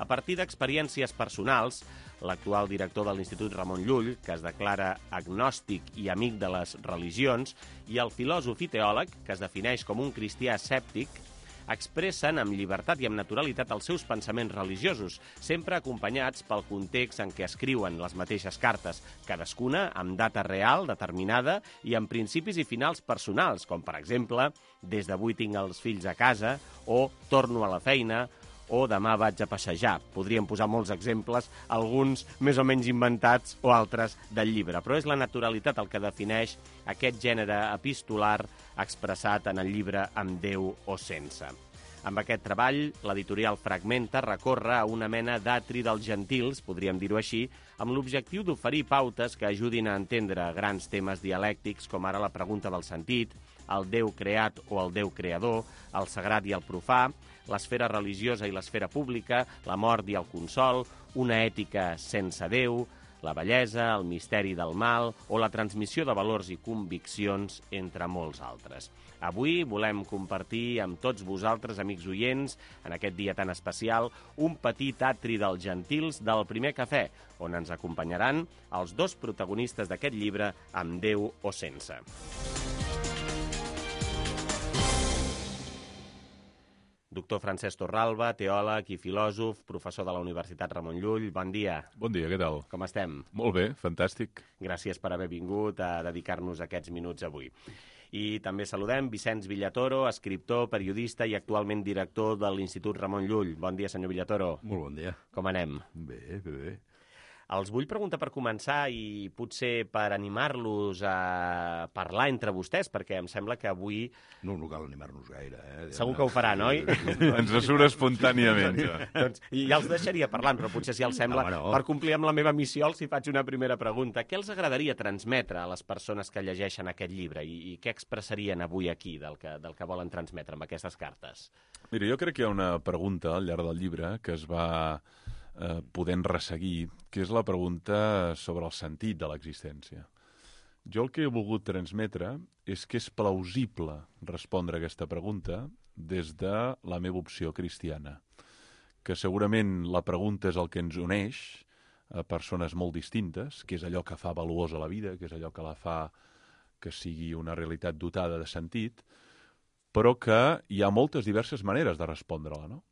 A partir d'experiències personals, l'actual director de l'Institut Ramon Llull, que es declara agnòstic i amic de les religions, i el filòsof i teòleg, que es defineix com un cristià escèptic, expressen amb llibertat i amb naturalitat els seus pensaments religiosos, sempre acompanyats pel context en què escriuen les mateixes cartes, cadascuna amb data real determinada i amb principis i finals personals, com per exemple, des d'avui tinc els fills a casa, o torno a la feina, o demà vaig a passejar. Podríem posar molts exemples, alguns més o menys inventats o altres del llibre, però és la naturalitat el que defineix aquest gènere epistolar expressat en el llibre Amb Déu o sense. Amb aquest treball, l'editorial Fragmenta recorre a una mena d'atri dels gentils, podríem dir-ho així, amb l'objectiu d'oferir pautes que ajudin a entendre grans temes dialèctics com ara la pregunta del sentit, el Déu creat o el Déu creador, el sagrat i el profà, l'esfera religiosa i l'esfera pública, la mort i el consol, una ètica sense Déu, la bellesa, el misteri del mal o la transmissió de valors i conviccions, entre molts altres. Avui volem compartir amb tots vosaltres, amics oients, en aquest dia tan especial, un petit atri dels gentils del Primer Cafè, on ens acompanyaran els dos protagonistes d'aquest llibre, Amb Déu o sense. Doctor Francesc Torralba, teòleg i filòsof, professor de la Universitat Ramon Llull. Bon dia. Bon dia, què tal? Com estem? Molt bé, fantàstic. Gràcies per haver vingut a dedicar-nos aquests minuts avui. I també saludem Vicenç Villatoro, escriptor, periodista i actualment director de l'Institut Ramon Llull. Bon dia, senyor Villatoro. Molt bon dia. Com anem? Bé, bé, bé. Els vull preguntar per començar i potser per animar-los a parlar entre vostès, perquè em sembla que avui... No, no cal animar-nos gaire, eh? Segur que ho faran, oi? Ens surt espontàniament. Doncs, i ja els deixaria parlant, però potser si els sembla, no, no. per complir amb la meva missió, els hi faig una primera pregunta. Què els agradaria transmetre a les persones que llegeixen aquest llibre i, i què expressarien avui aquí del que, del que volen transmetre amb aquestes cartes? Mira, jo crec que hi ha una pregunta al llarg del llibre que es va eh, podent resseguir, que és la pregunta sobre el sentit de l'existència. Jo el que he volgut transmetre és que és plausible respondre a aquesta pregunta des de la meva opció cristiana, que segurament la pregunta és el que ens uneix a persones molt distintes, que és allò que fa valuosa la vida, que és allò que la fa que sigui una realitat dotada de sentit, però que hi ha moltes diverses maneres de respondre-la, no?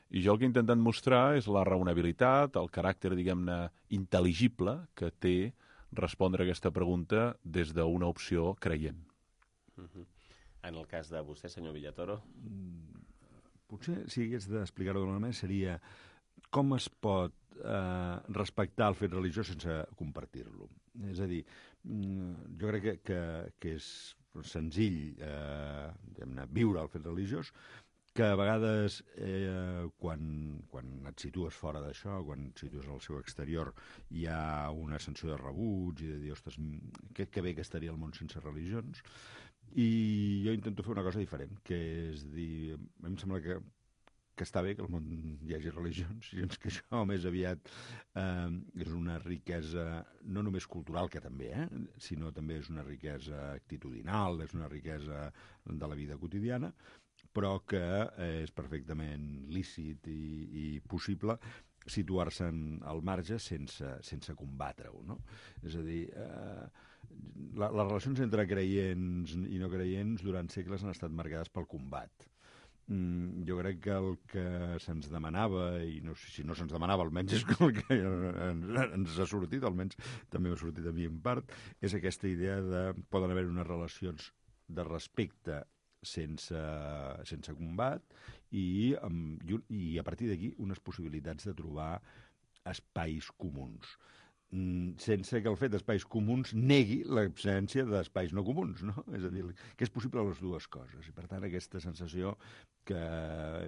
I jo el que he intentat mostrar és la raonabilitat, el caràcter, diguem-ne, intel·ligible que té respondre a aquesta pregunta des d'una opció creient. Uh-huh. En el cas de vostè, senyor Villatoro? Potser, si hagués d'explicar-ho d'una manera, seria com es pot eh, respectar el fet religiós sense compartir-lo. És a dir, jo crec que, que, que és senzill eh, viure el fet religiós, que a vegades eh, quan, quan et situes fora d'això, quan et situes al seu exterior, hi ha una sensació de rebuig i de dir, ostres, que, que bé que estaria el món sense religions. I jo intento fer una cosa diferent, que és dir, a mi em sembla que, que està bé que al món hi hagi religions, gens que això més aviat eh, és una riquesa no només cultural, que també, eh, sinó també és una riquesa actitudinal, és una riquesa de la vida quotidiana, però que és perfectament lícit i, i possible situar-se al marge sense, sense combatre-ho, no? És a dir, eh, la, les relacions entre creients i no creients durant segles han estat marcades pel combat. mm, jo crec que el que se'ns demanava, i no sé si no se'ns demanava, almenys és el que ens, ens ha sortit, almenys també m'ha sortit a mi en part, és aquesta idea de poden haver unes relacions de respecte sense, sense combat i, um, i, i a partir d'aquí unes possibilitats de trobar espais comuns, sense que el fet d'espais comuns negui l'absència d'espais no comuns, no? És a dir, que és possible les dues coses. I, per tant, aquesta sensació que,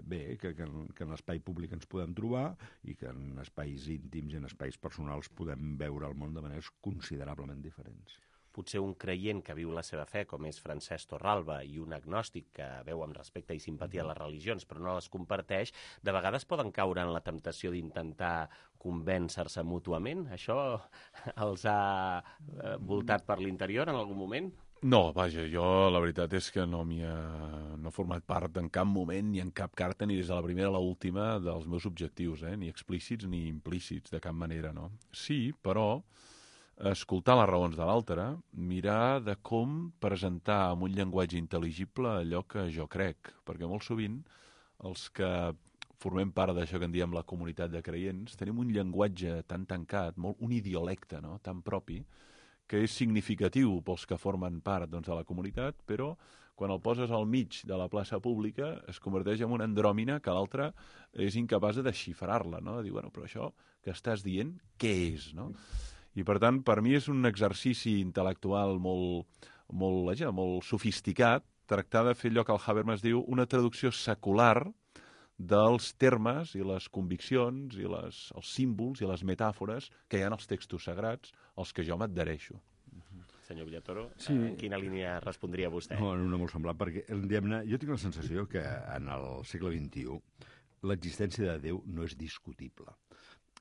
bé, que, que, en, que en l'espai públic ens podem trobar i que en espais íntims i en espais personals podem veure el món de maneres considerablement diferents. Potser un creient que viu la seva fe, com és Francesc Torralba, i un agnòstic que veu amb respecte i simpatia les religions, però no les comparteix, de vegades poden caure en la temptació d'intentar convèncer-se mútuament? Això els ha eh, voltat per l'interior en algun moment? No, vaja, jo la veritat és que no m'hi ha no he format part en cap moment, ni en cap carta, ni des de la primera a l'última dels meus objectius, eh? Ni explícits ni implícits, de cap manera, no? Sí, però escoltar les raons de l'altre, mirar de com presentar amb un llenguatge intel·ligible allò que jo crec, perquè molt sovint els que formem part d'això que en diem la comunitat de creients tenim un llenguatge tan tancat, molt, un idiolecte, no?, tan propi, que és significatiu pels que formen part, doncs, de la comunitat, però quan el poses al mig de la plaça pública es converteix en una andròmina que l'altre és incapaç de desxifrar-la, no?, de dir, bueno, però això que estàs dient, què és, no? I, per tant, per mi és un exercici intel·lectual molt, molt, vaja, molt sofisticat tractar de fer allò que el Habermas diu una traducció secular dels termes i les conviccions i les, els símbols i les metàfores que hi ha en els textos sagrats als que jo m'adhereixo. Senyor Villatoro, sí. En quina línia respondria vostè? No, en una molt semblant, perquè diguem-ne, jo tinc la sensació que en el segle vint-i-u l'existència de Déu no és discutible.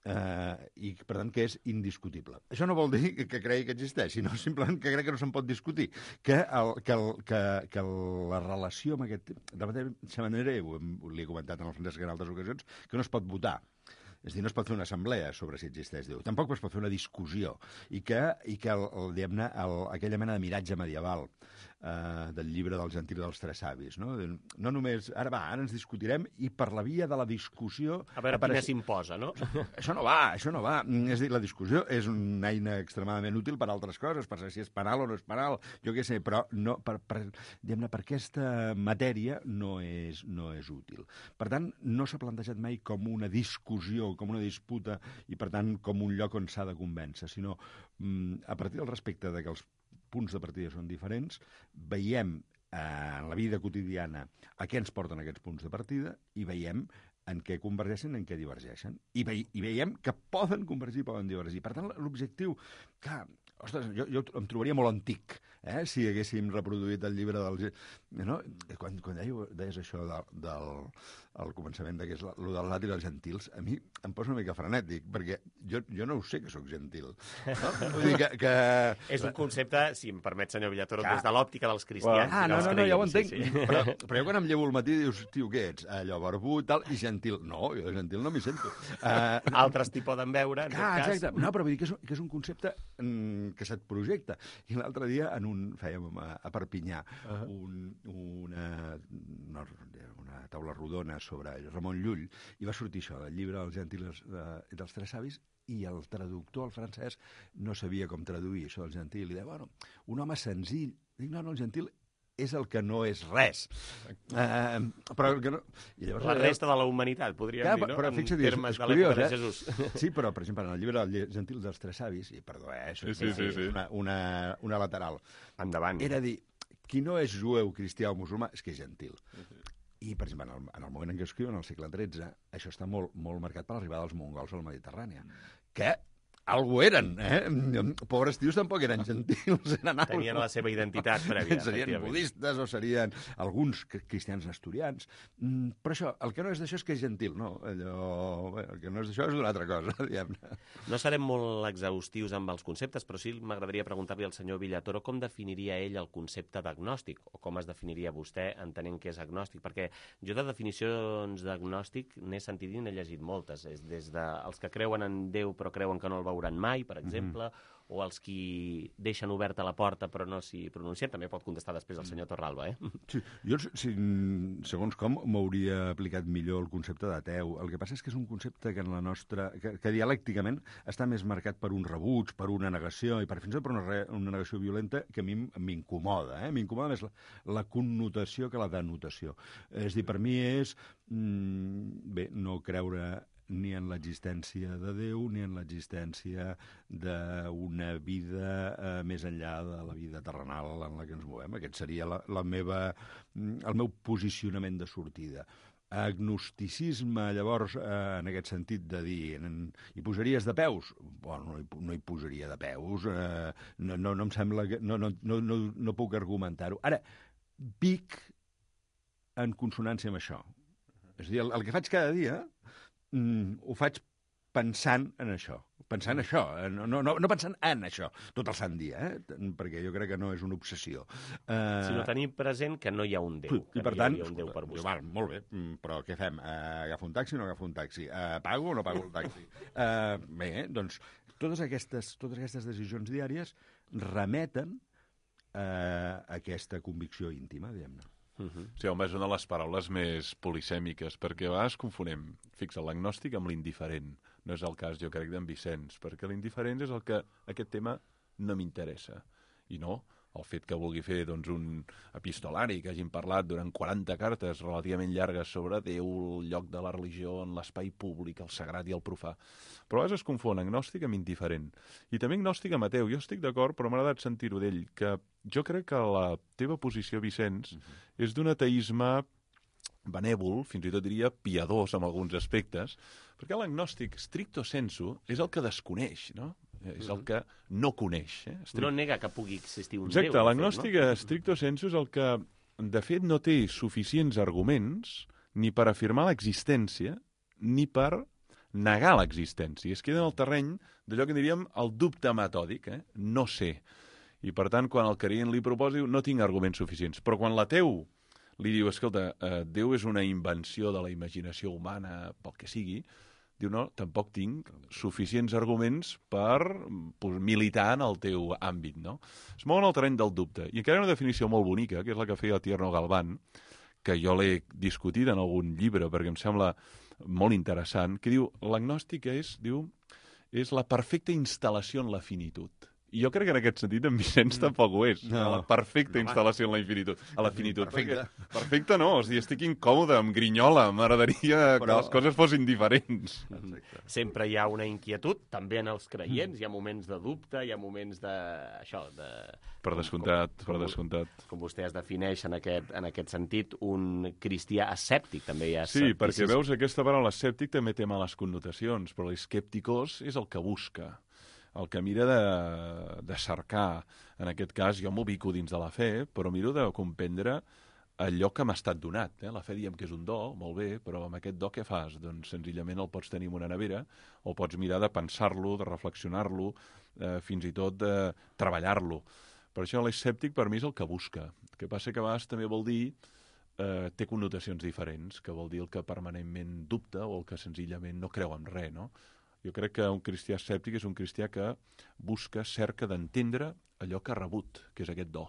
Uh, i per tant que és indiscutible. Això no vol dir que, que cregui que existeix, sinó simplement que crec que no se'n pot discutir, que, el, que, el, que, que la relació amb aquest... De la mateixa manera, li he comentat en el Francesc en altres ocasions, que no es pot votar. És a dir, no es pot fer una assemblea sobre si existeix Déu. Tampoc es pot fer una discussió. I que, i que el, el, diguem-ne, el, aquella mena de miratge medieval eh, del llibre del Gentil dels Tres Savis, no? No només, ara va, ara ens discutirem i per la via de la discussió... A veure apareix... quina s'imposa, no? Això no va, això no va. És a dir, la discussió és una eina extremadament útil per altres coses, per saber si és penal o no és penal, jo què sé, però no, per, per, diguem-ne, per aquesta matèria no és, no és útil. Per tant, no s'ha plantejat mai com una discussió, com una disputa, i per tant com un lloc on s'ha de convèncer, sinó mm, a partir del respecte de que els punts de partida són diferents, veiem eh, en la vida quotidiana a què ens porten aquests punts de partida i veiem en què convergeixen i en què divergeixen. I, ve i veiem que poden convergir i poden divergir. Per tant, l'objectiu, clar, ostres, jo, jo em trobaria molt antic, eh, si haguéssim reproduït el llibre del... No? Quan, quan deies, deies això del, del al començament, que és el del Lati dels Gentils, a mi em posa una mica frenètic, perquè jo, jo no ho sé que sóc gentil. No? Vull dir que, que... És un concepte, si em permet, senyor Villatoro, des de l'òptica dels cristians. Ah, no, no, no, ja ho entenc. Sí, sí. Però, però jo quan em llevo al matí dius, tio, què ets? Allò barbut, tal, i gentil. No, jo de gentil no m'hi sento. Uh, Altres t'hi poden veure, en ah, tot cas. Exacte. No, però vull dir que és, que és un concepte mm, que se't projecta. I l'altre dia, en un, fèiem a, a Perpinyà, uh -huh. un, una, una, una taula rodona sobre Ramon Llull, i va sortir això, del llibre dels Gentils de, dels Tres Savis, i el traductor, el francès, no sabia com traduir això del gentil, i deia, bueno, un home senzill. Dic, no, no, el gentil és el que no és res. Uh, però el que no... I llavors, la resta de la humanitat, podríem ja, dir, no? Però fixa't, en termes és, és de l'època curiós, de Jesús. Eh? Sí, però, per exemple, en el llibre dels Gentils dels Tres Savis, i perdó, eh, això sí, sí, sí, sí. Una, una, una lateral. Endavant. Era dir, qui no és jueu, cristià o musulmà, és que és gentil. I, per exemple, en el, en el moment en què escriuen, en el segle tretze, això està molt, molt marcat per l'arribada dels mongols a la Mediterrània, que algú eren, eh? Pobres tios tampoc eren gentils, eren algo. Tenien la seva identitat prèvia. Serien budistes o serien alguns cristians asturians. Mm, però això, el que no és d'això és que és gentil, no? Allò, bé, el que no és d'això és d'una altra cosa, diguem-ne. No serem molt exhaustius amb els conceptes, però sí m'agradaria preguntar-li al senyor Villatoro com definiria ell el concepte d'agnòstic, o com es definiria vostè entenent que és agnòstic, perquè jo de definicions d'agnòstic n'he sentit i n'he llegit moltes, és des dels que creuen en Déu però creuen que no el veuen seuran mai, per exemple, mm-hmm. o els qui deixen oberta la porta però no s'hi pronuncien. També pot contestar després el senyor Torralba, eh? Sí, jo, si, segons com, m'hauria aplicat millor el concepte d'ateu. El que passa és que és un concepte que en la nostra... que, que dialècticament està més marcat per un rebuig, per una negació, i per fins i tot per una, re, una negació violenta que a mi m'incomoda, eh? M'incomoda més la, la connotació que la denotació. És dir, per mi és, mm, bé, no creure ni en l'existència de Déu, ni en l'existència d'una vida eh, més enllà de la vida terrenal en la que ens movem. Aquest seria la, la meva, el meu posicionament de sortida. Agnosticisme, llavors, eh, en aquest sentit de dir, en, hi posaries de peus? Bueno, no hi, no hi posaria de peus, eh, no, no, no em sembla que... No, no, no, no, no puc argumentar-ho. Ara, vic en consonància amb això. És a dir, el, el que faig cada dia... Mm, ho faig pensant en això, pensant en això, no, no, no pensant en això, tot el sant dia, eh? Perquè jo crec que no és una obsessió. Uh... Sinó tenir present que no hi ha un Déu, que I per no tant, hi ha un Déu per buscar. Val, molt bé, però què fem? Uh, agafo un taxi o no agafo un taxi? Uh, pago o no pago el taxi? Uh, bé, doncs, totes aquestes, totes aquestes decisions diàries remeten uh, a aquesta convicció íntima, diguem-ne. Uh-huh. Sí, home, és una de les paraules més polisèmiques, perquè a vegades confonem, fixa, l'agnòstic amb l'indiferent. No és el cas, jo crec, d'en Vicenç, perquè l'indiferent és el que aquest tema no m'interessa. I no, el fet que vulgui fer doncs, un epistolari, que hagin parlat durant quaranta cartes relativament llargues sobre Déu, el lloc de la religió en l'espai públic, el sagrat i el profà. Però a vegades es confon agnòstic amb indiferent. I també agnòstic amb ateu. Jo estic d'acord, però m'ha agradat sentir-ho d'ell, que jo crec que la teva posició, Vicenç, uh-huh. és d'un ateisme benèvol, fins i tot diria piadós en alguns aspectes, perquè l'agnòstic, stricto sensu, és el que desconeix, no? És el que no coneix. Eh? Strict... No nega que pugui existir un Exacte, Déu. Exacte, l'agnòstic, no? Stricto sensu, és el que, de fet, no té suficients arguments ni per afirmar l'existència, ni per negar l'existència. Es queda en el terreny d'allò que diríem el dubte metòdic, eh? No sé. I, per tant, quan el creient li proposa, diu, no tinc arguments suficients. Però quan l'ateu li diu, escolta, eh, Déu és una invenció de la imaginació humana, pel que sigui, diu, no, tampoc tinc suficients arguments per pues, militar en el teu àmbit, no? Es mou en el terreny del dubte. I encara hi ha una definició molt bonica, que és la que feia Tierno Galván, que jo l'he discutit en algun llibre, perquè em sembla molt interessant, que diu, l'agnòstic és, diu, és la perfecta instal·lació en la finitud. I jo crec que en aquest sentit en Vicenç tampoc ho és. No. La perfecta no, instal·lació en la infinitud. A la finitud. Perfecte. Perquè, perfecte no, o sigui, estic incòmode, amb grinyola, m'agradaria Però... que les coses fossin diferents. Exacte. Sempre hi ha una inquietud, també en els creients, mm. hi ha moments de dubte, hi ha moments de... això, de... Per descomptat, com, com, per descomptat. Com vostè es defineix en aquest, en aquest sentit, un cristià escèptic, també hi ha Sí, escepticis. Perquè veus, aquesta paraula escèptic també té males connotacions, però l'escèpticos és el que busca. El que mira de, de cercar, en aquest cas, jo m'ubico dins de la fe, però miro de comprendre allò que m'ha estat donat. Eh? La fe diem que és un do, molt bé, però amb aquest do què fas? Doncs senzillament el pots tenir en una nevera, o pots mirar de pensar-lo, de reflexionar-lo, eh, fins i tot de treballar-lo. Per això l'escèptic per mi és el que busca. El que passa que a vegades també vol dir, eh, té connotacions diferents, que vol dir el que permanentment dubta o el que senzillament no creu en res, no? Jo crec que un cristià escèptic és un cristià que busca, cerca d'entendre allò que ha rebut, que és aquest do.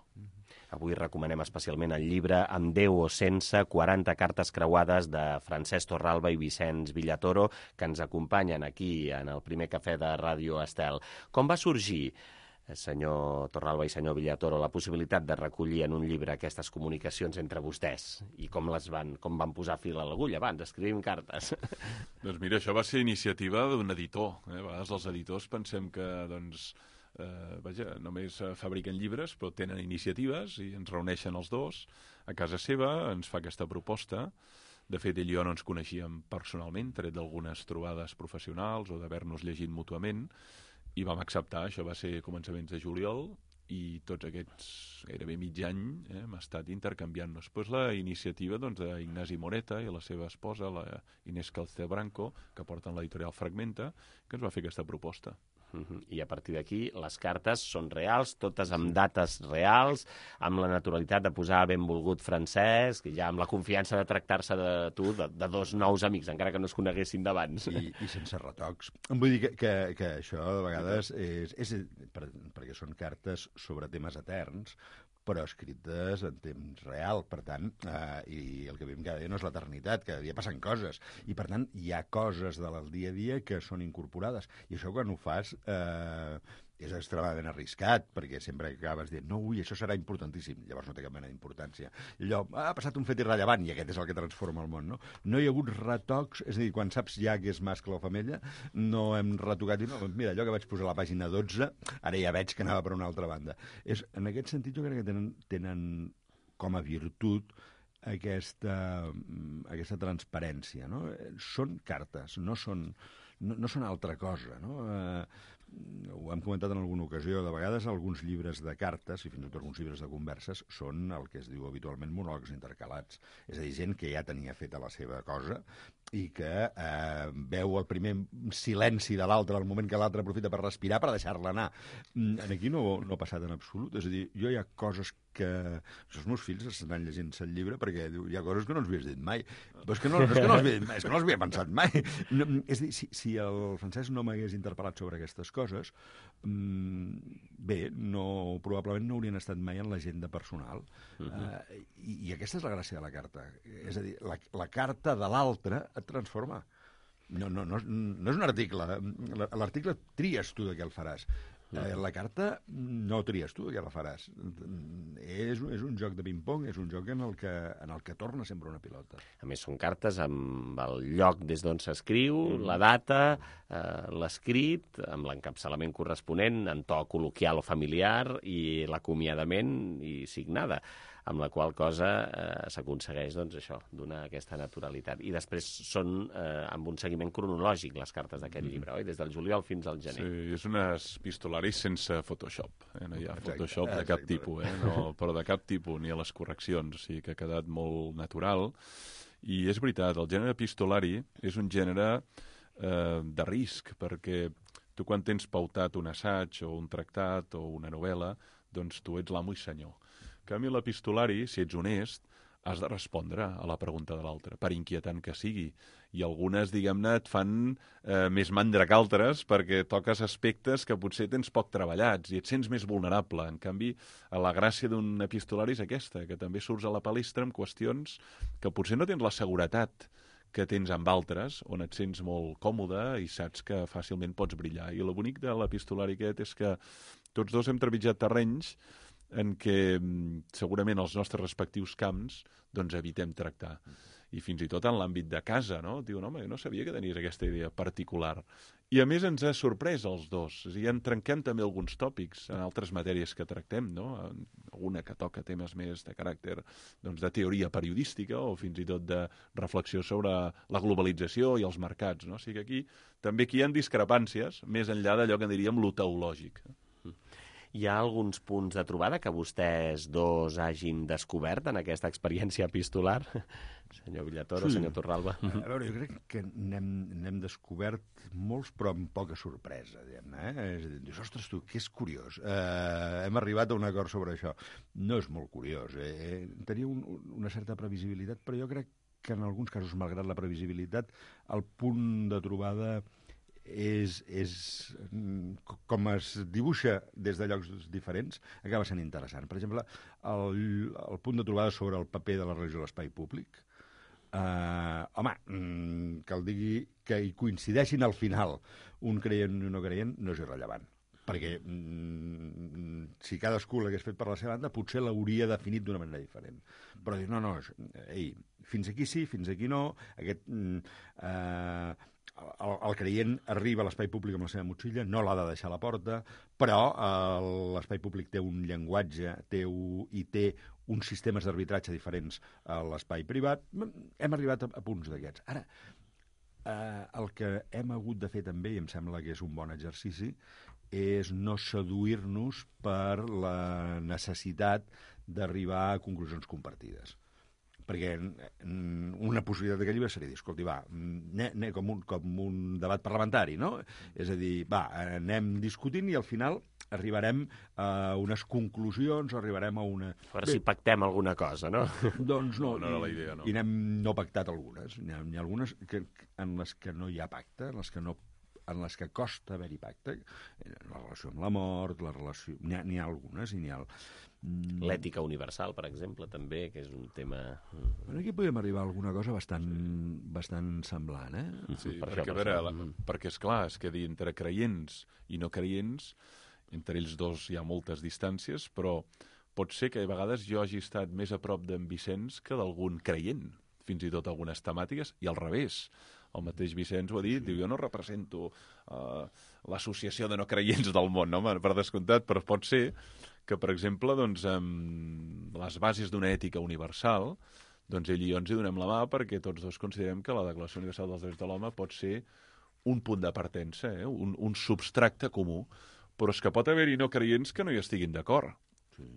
Avui recomanem especialment el llibre Amb Déu o sense, quaranta cartes creuades de Francesc Torralba i Vicenç Villatoro, que ens acompanyen aquí en el primer cafè de Ràdio Estel. Com va sorgir, senyor Torralba i senyor Villatoro, la possibilitat de recollir en un llibre aquestes comunicacions entre vostès i com les van, com van posar fil a l'agulla abans, escrivim cartes? Doncs mira, això va ser iniciativa d'un editor. Eh? A vegades els editors pensem que, doncs, eh, vaja, només fabriquen llibres, però tenen iniciatives i ens reuneixen els dos a casa seva, ens fa aquesta proposta. De fet, ell i jo no ens coneixíem personalment, tret d'algunes trobades professionals o d'haver-nos llegit mútuament, i vam acceptar, això va ser començaments de juliol, i tots aquests gairebé mig any eh, hem estat intercanviant-nos. Després la iniciativa doncs, d'Ignasi Moreta i la seva esposa, la Inés Calcebranco, que porten l'editorial Fragmenta, que ens va fer aquesta proposta. Uh-huh. I a partir d'aquí les cartes són reals, totes amb dates reals, amb la naturalitat de posar benvolgut Francesc, ja amb la confiança de tractar-se de tu, de, de dos nous amics, encara que no es coneguessin d'abans. I, I sense retocs. Vull dir que, que, que això, de vegades, és, és per, perquè són cartes sobre temes eterns, però escrites en temps real, per tant, eh, i el que vivim cada dia no és l'eternitat, cada dia passen coses, i per tant hi ha coses del dia a dia que són incorporades, i això quan ho fas eh, és extremadament arriscat, perquè sempre acabes dient, no, ui, això serà importantíssim, llavors no té cap mena d'importància. I allò, ah, ha passat un fet irrellevant, i aquest és el que transforma el món, no? No hi ha hagut retocs, és a dir, quan saps ja que és mascle o femella, no hem retocat, i no, mira, allò que vaig posar a la pàgina dotze, ara ja veig que anava per una altra banda. És, en aquest sentit, jo crec que tenen, tenen com a virtut aquesta, aquesta transparència, no? Són cartes, no són, no, no són altra cosa, no? Eh, ho hem comentat en alguna ocasió, de vegades alguns llibres de cartes, i fins i tot alguns llibres de converses, són el que es diu habitualment monòlegs intercalats. És a dir, gent que ja tenia feta la seva cosa i que eh, veu el primer silenci de l'altre al moment que l'altre aprofita per respirar per deixar-la anar. En aquí no, no ha passat en absolut. És a dir, jo hi ha coses que... Els meus fills estan llegint-se el llibre perquè diu, hi ha coses que no els havies dit mai. Però és que no, no, és que no, els, havia, és que no els havia pensat mai. No, és a dir, si, si el Francesc no m'hagués interpel·lat sobre aquestes coses, bé, no, probablement no haurien estat mai en l'agenda personal. Uh-huh. uh, i, I aquesta és la gràcia de la carta. És a dir, la, la carta de l'altre et transforma. No, no, no, no és un article. L'article tries tu de què el faràs. Eh, la carta no tries tu de què la faràs. És, és un joc de ping-pong, és un joc en el, que, en el que torna sempre una pilota. A més, són cartes amb el lloc des d'on s'escriu, mm. la data, eh, l'escrit, amb l'encapçalament corresponent, en to col·loquial o familiar, i l'acomiadament i signada, amb la qual cosa eh, s'aconsegueix, doncs, això, donar aquesta naturalitat. I després són eh, amb un seguiment cronològic les cartes d'aquest mm. llibre, oi? Des del juliol fins al gener. Sí, és un epistolari sense Photoshop. Eh? No hi ha Photoshop de cap tipus, eh? No, però de cap tipus, ni a les correccions. O sigui que ha quedat molt natural. I és veritat, el gènere epistolari és un gènere eh, de risc, perquè tu quan tens pautat un assaig o un tractat o una novel·la, doncs tu ets l'amo i senyor. En canvi, l'epistolari, si ets honest, has de respondre a la pregunta de l'altre, per inquietant que sigui. I algunes, diguem-ne, et fan eh, més mandra que altres perquè toques aspectes que potser tens poc treballats i et sents més vulnerable. En canvi, la gràcia d'un epistolari és aquesta, que també surts a la palestra amb qüestions que potser no tens la seguretat que tens amb altres, on et sents molt còmode i saps que fàcilment pots brillar. I el bonic de l'epistolari aquest és que tots dos hem trepitjat terrenys en què segurament els nostres respectius camps doncs evitem tractar. I fins i tot en l'àmbit de casa, no? Diuen, home, no sabia que tenies aquesta idea particular. I a més ens ha sorprès els dos. És a dir, en trenquem també alguns tòpics en altres matèries que tractem, no? Alguna que toca temes més de caràcter doncs, de teoria periodística o fins i tot de reflexió sobre la globalització i els mercats, no? O sigui que aquí també aquí hi ha discrepàncies, més enllà d'allò que en diríem lo teològic. Hi ha alguns punts de trobada que vostès dos hagin descobert en aquesta experiència epistolar? Senyor Villatoro, sí. Senyor Torralba. A veure, jo crec que n'hem descobert molts, però amb poca sorpresa, diguem-ne. Eh? És a dir, dius, ostres, tu, que és curiós. Eh, hem arribat a un acord sobre això. No és molt curiós. Eh? Tenia un, una certa previsibilitat, però jo crec que en alguns casos, malgrat la previsibilitat, el punt de trobada és, és com es dibuixa des de llocs diferents, acaba sent interessant. Per exemple, el, el punt de trobada sobre el paper de la religió a l'espai públic, eh, home, que el digui que hi coincideixin al final un creient i un no creient no és irrellevant, perquè mm, si cadascú l'hagués fet per la seva banda potser l'hauria definit d'una manera diferent. Però dir, no, no, ei, fins aquí sí, fins aquí no, aquest... Mm, eh, El, el creient arriba a l'espai públic amb la seva motxilla, no l'ha de deixar a la porta, però eh, l'espai públic té un llenguatge té un, i té uns sistemes d'arbitratge diferents a l'espai privat. Hem arribat a, a punts d'aquests. Ara, eh, el que hem hagut de fer també, i em sembla que és un bon exercici, és no seduir-nos per la necessitat d'arribar a conclusions compartides. perquè una possibilitat d'aquest llibre seria dir, escolti, va, ne, ne, com, un, com un debat parlamentari, no? És a dir, va, anem discutint i al final arribarem a unes conclusions, arribarem a una... A veure si pactem alguna cosa, no? Doncs no, no, no era la idea, no. I n'hem no pactat algunes. N'hi ha, n'hi ha algunes que, en les que no hi ha pacte, en les que no en les que costa haver-hi pacte, la relació amb la mort, la relació... N'hi ha, n'hi ha algunes i n'hi ha... L'ètica universal, per exemple, també, que és un tema... Bueno, aquí podem arribar a alguna cosa bastant, bastant semblant, eh? Sí, per perquè, això, a veure, la, perquè, esclar, és que dir entre creients i no creients, entre ells dos hi ha moltes distàncies, però pot ser que a vegades jo hagi estat més a prop d'en Vicenç que d'algun creient, fins i tot algunes temàtiques, i al revés. El mateix Vicenç ho ha dit, diu, jo no represento uh, l'associació de no creients del món, no? Per descomptat, però pot ser que, per exemple, doncs, amb les bases d'una ètica universal, doncs ell i jo ens hi donem la mà perquè tots dos considerem que la Declaració Universal dels Drets de l'Home pot ser un punt de partença, eh? un, un substracte comú, però és que pot haver-hi no creients que no hi estiguin d'acord.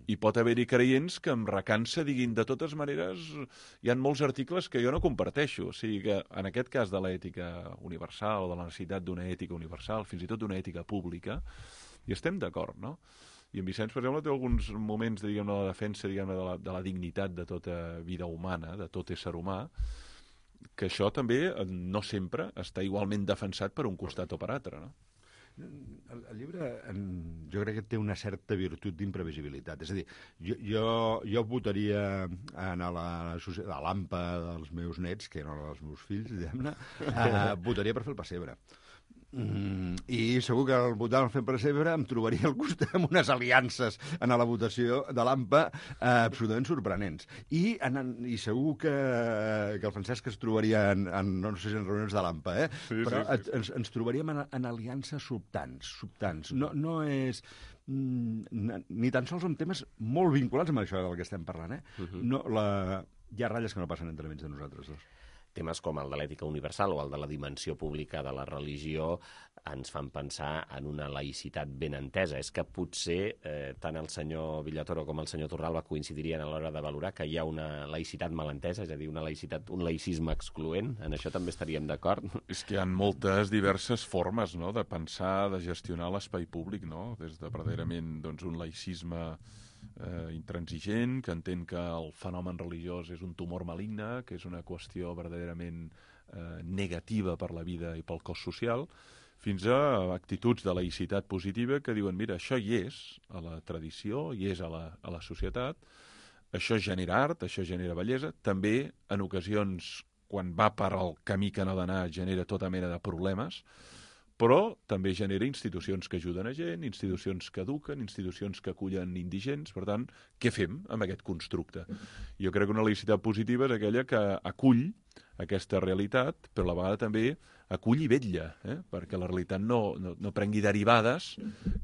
I pot haver-hi creients que em recansa diguin de totes maneres hi ha molts articles que jo no comparteixo, o sigui que en aquest cas de l'ètica universal o de la necessitat d'una ètica universal, fins i tot d'una ètica pública, hi estem d'acord, no? I en Vicenç, per exemple, té alguns moments de, diguem, de la defensa diguem, de, la, de la dignitat de tota vida humana, de tot ésser humà, que això també no sempre està igualment defensat per un costat o per altre, no? El, el llibre en, jo crec que té una certa virtut d'imprevisibilitat. És a dir, jo, jo, jo votaria en a la, a l'ampa dels meus nets, que no dels meus fills, diguem-ne, eh, votaria per fer el pessebre. Mm, i segur que al votar per pessebre em trobaria al costat amb unes aliances en la votació de l'AMPA eh, absolutament sorprenents. I, en, i segur que, que el Francesc es trobaria en, en no sé si en reunions de l'AMPA, eh? Sí, però sí, sí, sí. Ens, ens trobaríem en, en aliances sobtants, sobtants. No, no és... ni tan sols són temes molt vinculats amb això del que estem parlant, eh? Uh-huh. No, la... Hi ha ratlles que no passen entre mig de nosaltres dos. Temes com el de l'ètica universal o el de la dimensió pública de la religió ens fan pensar en una laïcitat ben entesa. És que potser eh, tant el senyor Villatoro com el senyor Torralba coincidirien a l'hora de valorar que hi ha una laïcitat mal entesa, és a dir, una laïcitat, un laïcisme excloent. En això també estaríem d'acord? És que hi ha moltes diverses formes, no?, de pensar, de gestionar l'espai públic, no?, des de verdaderament doncs, un laïcisme Eh, intransigent, que entén que el fenomen religiós és un tumor maligne, que és una qüestió verdaderament eh, negativa per la vida i pel cos social, fins a actituds de laïcitat positiva que diuen, mira, això hi és a la tradició, hi és a la, a la societat, això genera art, això genera bellesa, també en ocasions, quan va per al camí que no ha d'anar, genera tota mena de problemes, però també genera institucions que ajuden a gent, institucions que eduquen, institucions que acullen indigents. Per tant, què fem amb aquest constructe? Jo crec que una laïcitat positiva és aquella que acull aquesta realitat, però a la vegada també acull i vetlla, eh? perquè la realitat no, no, no prengui derivades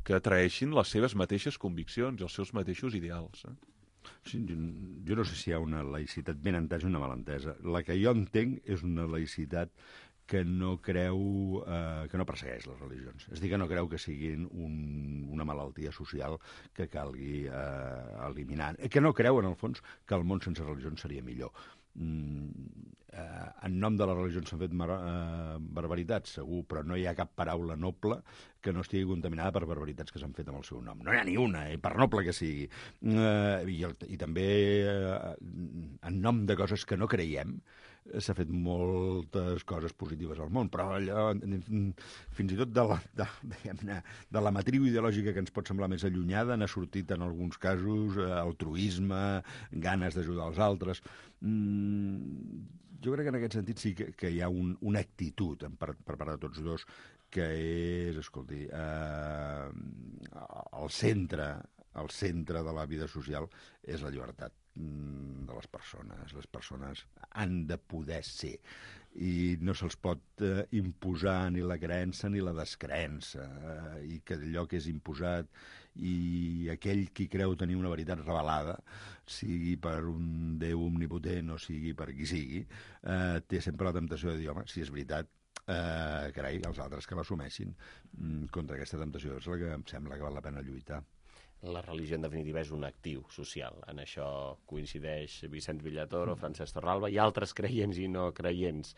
que traeixin les seves mateixes conviccions i els seus mateixos ideals. Eh? Sí, jo, jo no sé si hi ha una laïcitat ben entesa o una malentesa. La que jo entenc és una laïcitat que no creu, eh, que no persegueix les religions. És a dir, que no creu que siguin un, una malaltia social que calgui eh, eliminar. Que no creu, en el fons, que el món sense religions seria millor. Mm, eh, en nom de les religions s'han fet mar, eh, barbaritats, segur, però no hi ha cap paraula noble que no estigui contaminada per barbaritats que s'han fet amb el seu nom. No hi ha ni una, eh, per noble que sigui. Eh, i, el, I també, eh, en nom de coses que no creiem, s'ha fet moltes coses positives al món, però allò, fins i tot de la, de, de la matriu ideològica que ens pot semblar més allunyada, n'ha sortit en alguns casos altruisme, ganes d'ajudar els altres. Mm, jo crec que en aquest sentit sí que, que hi ha un, una actitud per, per part de tots dos que és, escolti, eh, el centre, el centre de la vida social és la llibertat de les persones. Les persones han de poder ser i no se'ls pot eh, imposar ni la creença ni la descreença, eh, i que allò que és imposat i aquell qui creu tenir una veritat revelada, sigui per un Déu omnipotent o sigui per qui sigui, eh, té sempre la temptació de dir, home, si és veritat, eh, carai, els altres que l'assumeixin. Mm, contra aquesta temptació és la que em sembla que val la pena lluitar. la religió, en definitiva, és un actiu social. En això coincideix Vicenç Villatoro, Francesc Torralba i altres creients i no creients.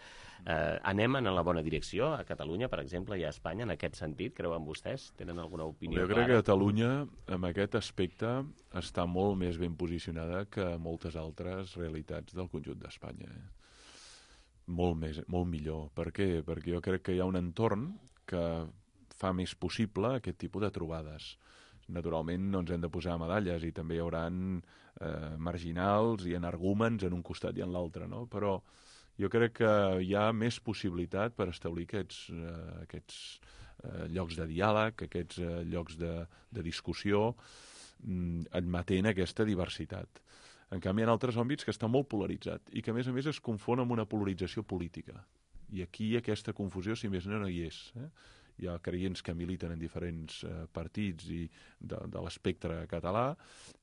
Eh, anem en la bona direcció a Catalunya, per exemple, i a Espanya, en aquest sentit? Creuen vostès? Tenen alguna opinió jo clara? crec que Catalunya, en aquest aspecte, està molt més ben posicionada que moltes altres realitats del conjunt d'Espanya. Eh? Molt més, molt millor. Per què? Perquè jo crec que hi ha un entorn que fa més possible aquest tipus de trobades. Naturalment no ens hem de posar medalles i també hi haurà eh, marginals i energúmens en un costat i en l'altre, no? Però jo crec que hi ha més possibilitat per establir aquests, eh, aquests eh, llocs de diàleg, aquests eh, llocs de, de discussió, mm, admetent aquesta diversitat. En canvi, hi ha altres àmbits que està molt polaritzat i que, a més a més, es confon amb una polarització política. I aquí aquesta confusió, si més no, no hi és. Eh? Hi ha creients que militen en diferents eh, partits i de, de l'espectre català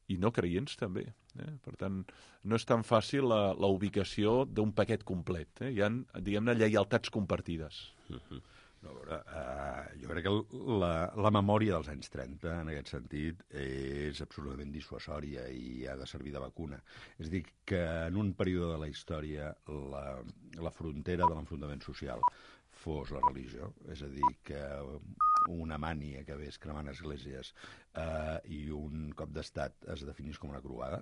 i no creients també. Eh? Per tant, no és tan fàcil la, la ubicació d'un paquet complet. Eh? Hi ha, diguem-ne, lleialtats compartides. Uh-huh. No, a veure, uh, jo crec que la, la memòria dels anys trenta, en aquest sentit, és absolutament dissuasòria i ha de servir de vacuna. És a dir, que en un període de la història la, la frontera de l'enfrontament social fos la religió, és a dir, que una mània que ves cremant esglésies eh, i un cop d'estat es definís com una croada,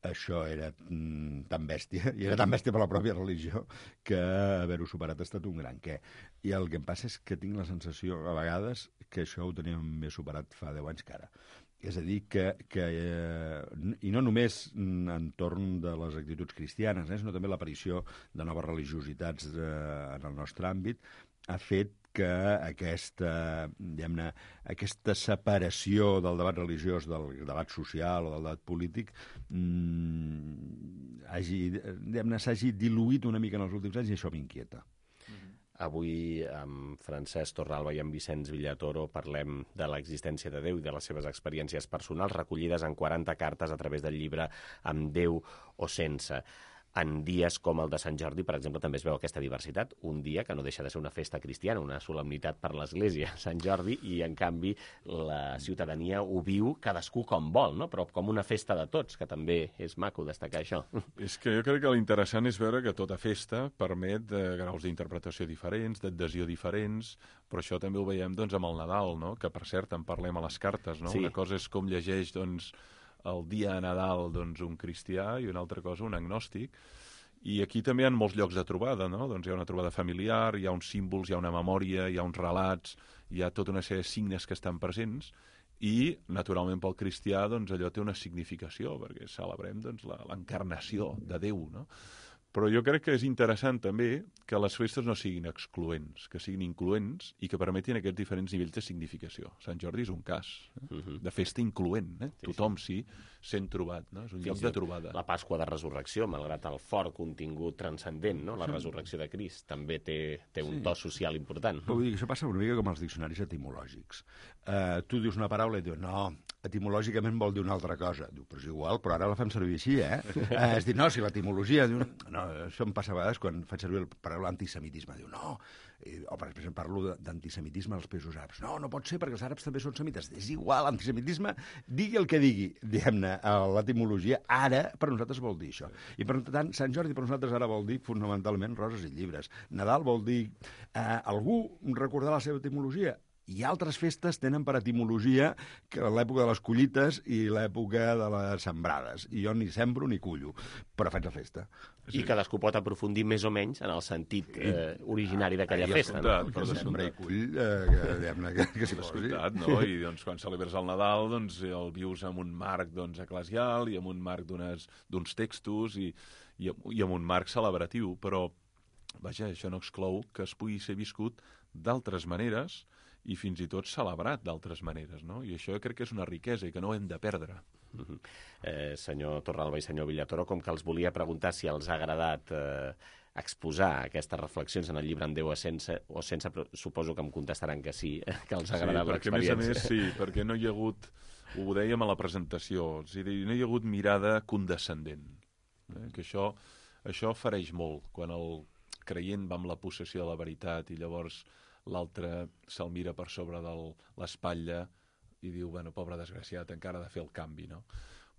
això era mm, tan bèstia, i era tan bèstia per la pròpia religió, que haver-ho superat ha estat un gran què. I el que em passa és que tinc la sensació, a vegades, que això ho teníem més superat fa deu anys que ara. És a dir, que, que eh, i no només entorn de les actituds cristianes, eh, sinó també l'aparició de noves religiositats eh, en el nostre àmbit, ha fet que aquesta, diguem-ne, aquesta separació del debat religiós del debat social o del debat polític mmm, hagi, diguem-ne, s'hagi diluït una mica en els últims anys i això m'inquieta. Avui amb Francesc Torralba i amb Vicenç Villatoro parlem de l'existència de Déu i de les seves experiències personals recollides en quaranta cartes a través del llibre Amb Déu o sense. En dies com el de Sant Jordi, per exemple, també es veu aquesta diversitat. Un dia que no deixa de ser una festa cristiana, una solemnitat per l'Església, Sant Jordi, i en canvi la ciutadania ho viu cadascú com vol, no? Però com una festa de tots, que també és maco destacar això. És que jo crec que l'interessant és veure que tota festa permet eh, graus d'interpretació diferents, d'adhesió diferents, però això també ho veiem doncs, amb el Nadal, no? Que per cert en parlem a les cartes, no? Sí. Una cosa és com llegeix doncs, el dia a Nadal doncs, un cristià i una altra cosa un agnòstic. I aquí també hi ha molts llocs de trobada, no? Doncs hi ha una trobada familiar, hi ha uns símbols, hi ha una memòria, hi ha uns relats, hi ha tota una sèrie de signes que estan presents i, naturalment, pel cristià doncs, allò té una significació, perquè celebrem doncs, l'encarnació de Déu, no? Però jo crec que és interessant també que les festes no siguin excloents, que siguin incloents i que permetin aquests diferents nivells de significació. Sant Jordi és un cas eh? uh-huh. de festa incloent. Eh? Sí, Tothom s'hi sí. sent trobat. No? És un Fins lloc de trobada. La Pasqua de Resurrecció, malgrat el fort contingut transcendent, no? La resurrecció de Crist, també té, té un sí. to social important. Però vull dir que això passa una mica com els diccionaris etimològics. Uh, tu dius una paraula i dius, no, etimològicament vol dir una altra cosa. Diu, però és igual, però ara la fem servir així, eh? Uh, és dir, no, si l'etimologia... Diu, no, això em passa a vegades quan faig servir la paraula antisemitisme. Diu, no, I, o per exemple parlo d'antisemitisme als països àrabs. No, no pot ser perquè els àrabs també són semites. És igual, antisemitisme, digui el que digui, diguem-ne, l'etimologia, ara per nosaltres vol dir això. I per tant, Sant Jordi per nosaltres ara vol dir fonamentalment roses i llibres. Nadal vol dir eh, algú recordar la seva etimologia. I altres festes tenen per etimologia que l'època de les collites i l'època de les sembrades. I jo ni sembro ni cullo, però faig la festa. I cadascú pot aprofundir més o menys en el sentit eh, originari d'aquella festa. No? Però sembra i cull, eh, que, que, que s'hi va escollir. No? I doncs, quan celebres el Nadal doncs, el vius amb un marc doncs, eclesial i amb un marc d'uns textos i, i, i amb un marc celebratiu. Però, vaja, això no exclou que es pugui ser viscut d'altres maneres i fins i tot celebrat d'altres maneres, no? I això jo crec que és una riquesa i que no hem de perdre. Uh-huh. eh, senyor Torralba i senyor Villatoro, com que els volia preguntar si els ha agradat eh, exposar aquestes reflexions en el llibre Amb Déu o sense, o sense, però suposo que em contestaran que sí, que els ha agradat sí, l'experiència. A més a més, sí, perquè no hi ha hagut, ho dèiem a la presentació, és a dir, no hi ha hagut mirada condescendent, eh? Que això, això fereix molt, quan el creient va amb la possessió de la veritat i llavors l'altre se'l mira per sobre de l'espatlla i diu, bueno, pobre desgraciat, encara ha de fer el canvi, no?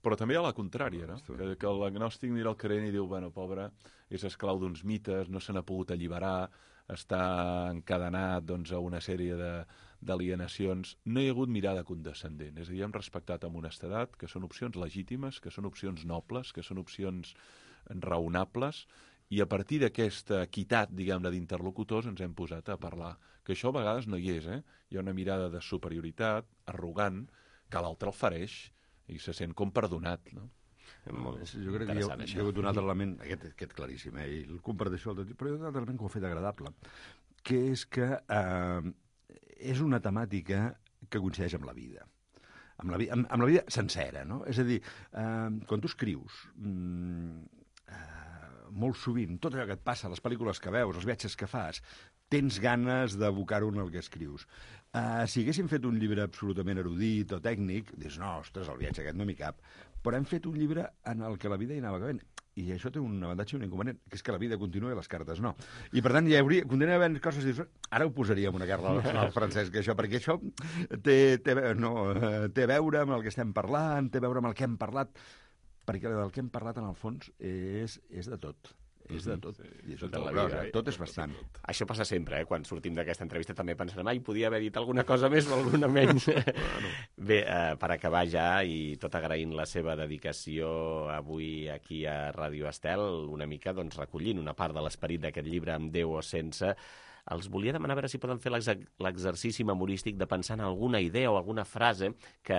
Però també hi ha la contrària, no? Que, que l'agnòstic mira el crent i diu, bueno, pobre, és esclau d'uns mites, no se n'ha pogut alliberar, està encadenat doncs, a una sèrie d'alienacions. No hi ha hagut mirada condescendent, és a dir, hem respectat amb honestedat que són opcions legítimes, que són opcions nobles, que són opcions raonables, i a partir d'aquesta equitat, diguem-ne, d'interlocutors ens hem posat a parlar. Que això a vegades no hi és, eh? Hi ha una mirada de superioritat, arrogant, que l'altre el fareix i se sent com perdonat, no? Molt jo crec que hi ha, hi ha hagut un altre element, aquest, aquest claríssim, eh? I el comparteixo, però hi ha un altre element que ho ha fet agradable, que és que eh, és una temàtica que coincideix amb la vida. Amb la, amb, amb la vida sencera, no? És a dir, eh, quan tu escrius, mm, eh, molt sovint, tot allò que et passa, les pel·lícules que veus, els viatges que fas, tens ganes d'abocar-ho en el que escrius. Uh, si haguéssim fet un llibre absolutament erudit o tècnic, dius, no, ostres, el viatge aquest no m'hi cap. Però hem fet un llibre en el que la vida hi anava acabant. I això té un avantatge i un inconvenient, que és que la vida continua i les cartes no. I per tant, hi hauria, continua havent coses, dius, ara ho posaríem una carta al Francesc, això, perquè això té, té, no, té a veure amb el que estem parlant, té a veure amb el que hem parlat, perquè del que hem parlat, en el fons, és, és de tot. És de tot. Sí, I això tot, la vida, eh? Tot és bastant. Això passa sempre, eh? Quan sortim d'aquesta entrevista també pensarem, ai, podia haver dit alguna cosa més o alguna menys. Bueno. Bé, eh, per acabar ja, i tot agraint la seva dedicació avui aquí a Ràdio Estel, una mica doncs, recollint una part de l'esperit d'aquest llibre, Amb Déu o sense, els volia demanar a veure si poden fer l'exercici memorístic de pensar en alguna idea o alguna frase que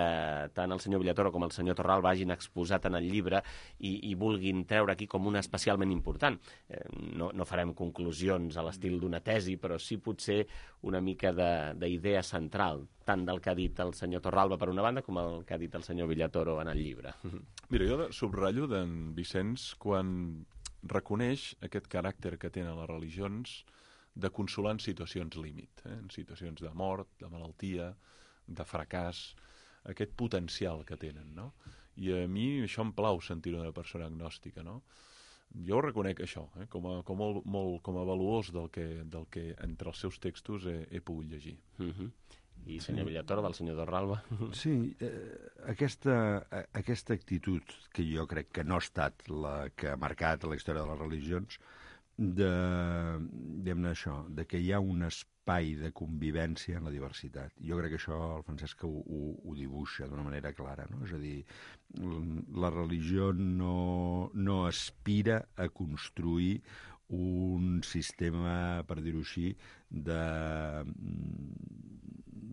tant el senyor Villatoro com el senyor Torralba hagin exposat en el llibre i, i vulguin treure aquí com una especialment important. Eh, no, no farem conclusions a l'estil d'una tesi, però sí potser una mica d'idea central, tant del que ha dit el senyor Torralba per una banda com el que ha dit el senyor Villatoro en el llibre. Mira, jo subratllo d'en Vicenç quan reconeix aquest caràcter que tenen les religions de consolar en situacions límit, eh? En situacions de mort, de malaltia, de fracàs, aquest potencial que tenen, no? I a mi això em plau sentir-ho d'una persona agnòstica, no? Jo reconec això, eh? com, a, com, a, molt, com a valuós del que, del que entre els seus textos he, he pogut llegir. Uh-huh. I senyor Villatoro, del senyor Torralba? Sí, eh, aquesta, aquesta actitud que jo crec que no ha estat la que ha marcat la història de les religions, de, diguem-ne això, de que hi ha un espai de convivència en la diversitat. Jo crec que això el Francesc ho, ho, ho dibuixa d'una manera clara, no? És a dir, la religió no, no aspira a construir un sistema, per dir-ho així,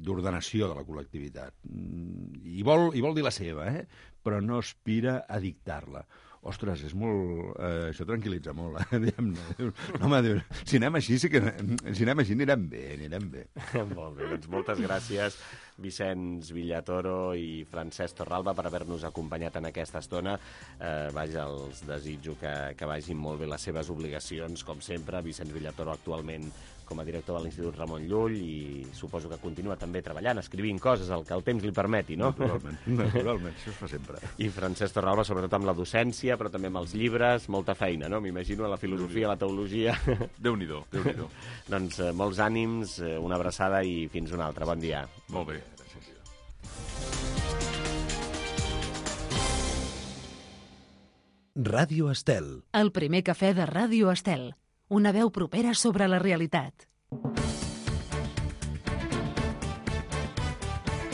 d'ordenació de la col·lectivitat. I vol, i vol dir la seva, eh? Però no aspira a dictar-la. Ostres, és molt... Eh, això tranquil·litza molt, eh? Diguem-ne. No, home, diu, si anem així, sí que, si anem així anirem bé, anirem bé. Molt bé, doncs moltes gràcies, Vicenç Villatoro i Francesc Torralba, per haver-nos acompanyat en aquesta estona. Eh, vaja, els desitjo que, que vagin molt bé les seves obligacions, com sempre. Vicenç Villatoro actualment com a director de l'Institut Ramon Llull i suposo que continua també treballant, escrivint coses, el que el temps li permeti, no? Naturalment, naturalment, això es fa sempre. I Francesc Torralba, sobretot amb la docència, però també amb els llibres, molta feina, no? M'imagino, la filosofia, la teologia... Déu-n'hi-do, Déu-n'hi-do. Doncs eh, molts ànims, eh, una abraçada i fins una altra. Bon dia. Molt bé. Ràdio Estel. El primer cafè de Ràdio Estel. Una veu propera sobre la realitat.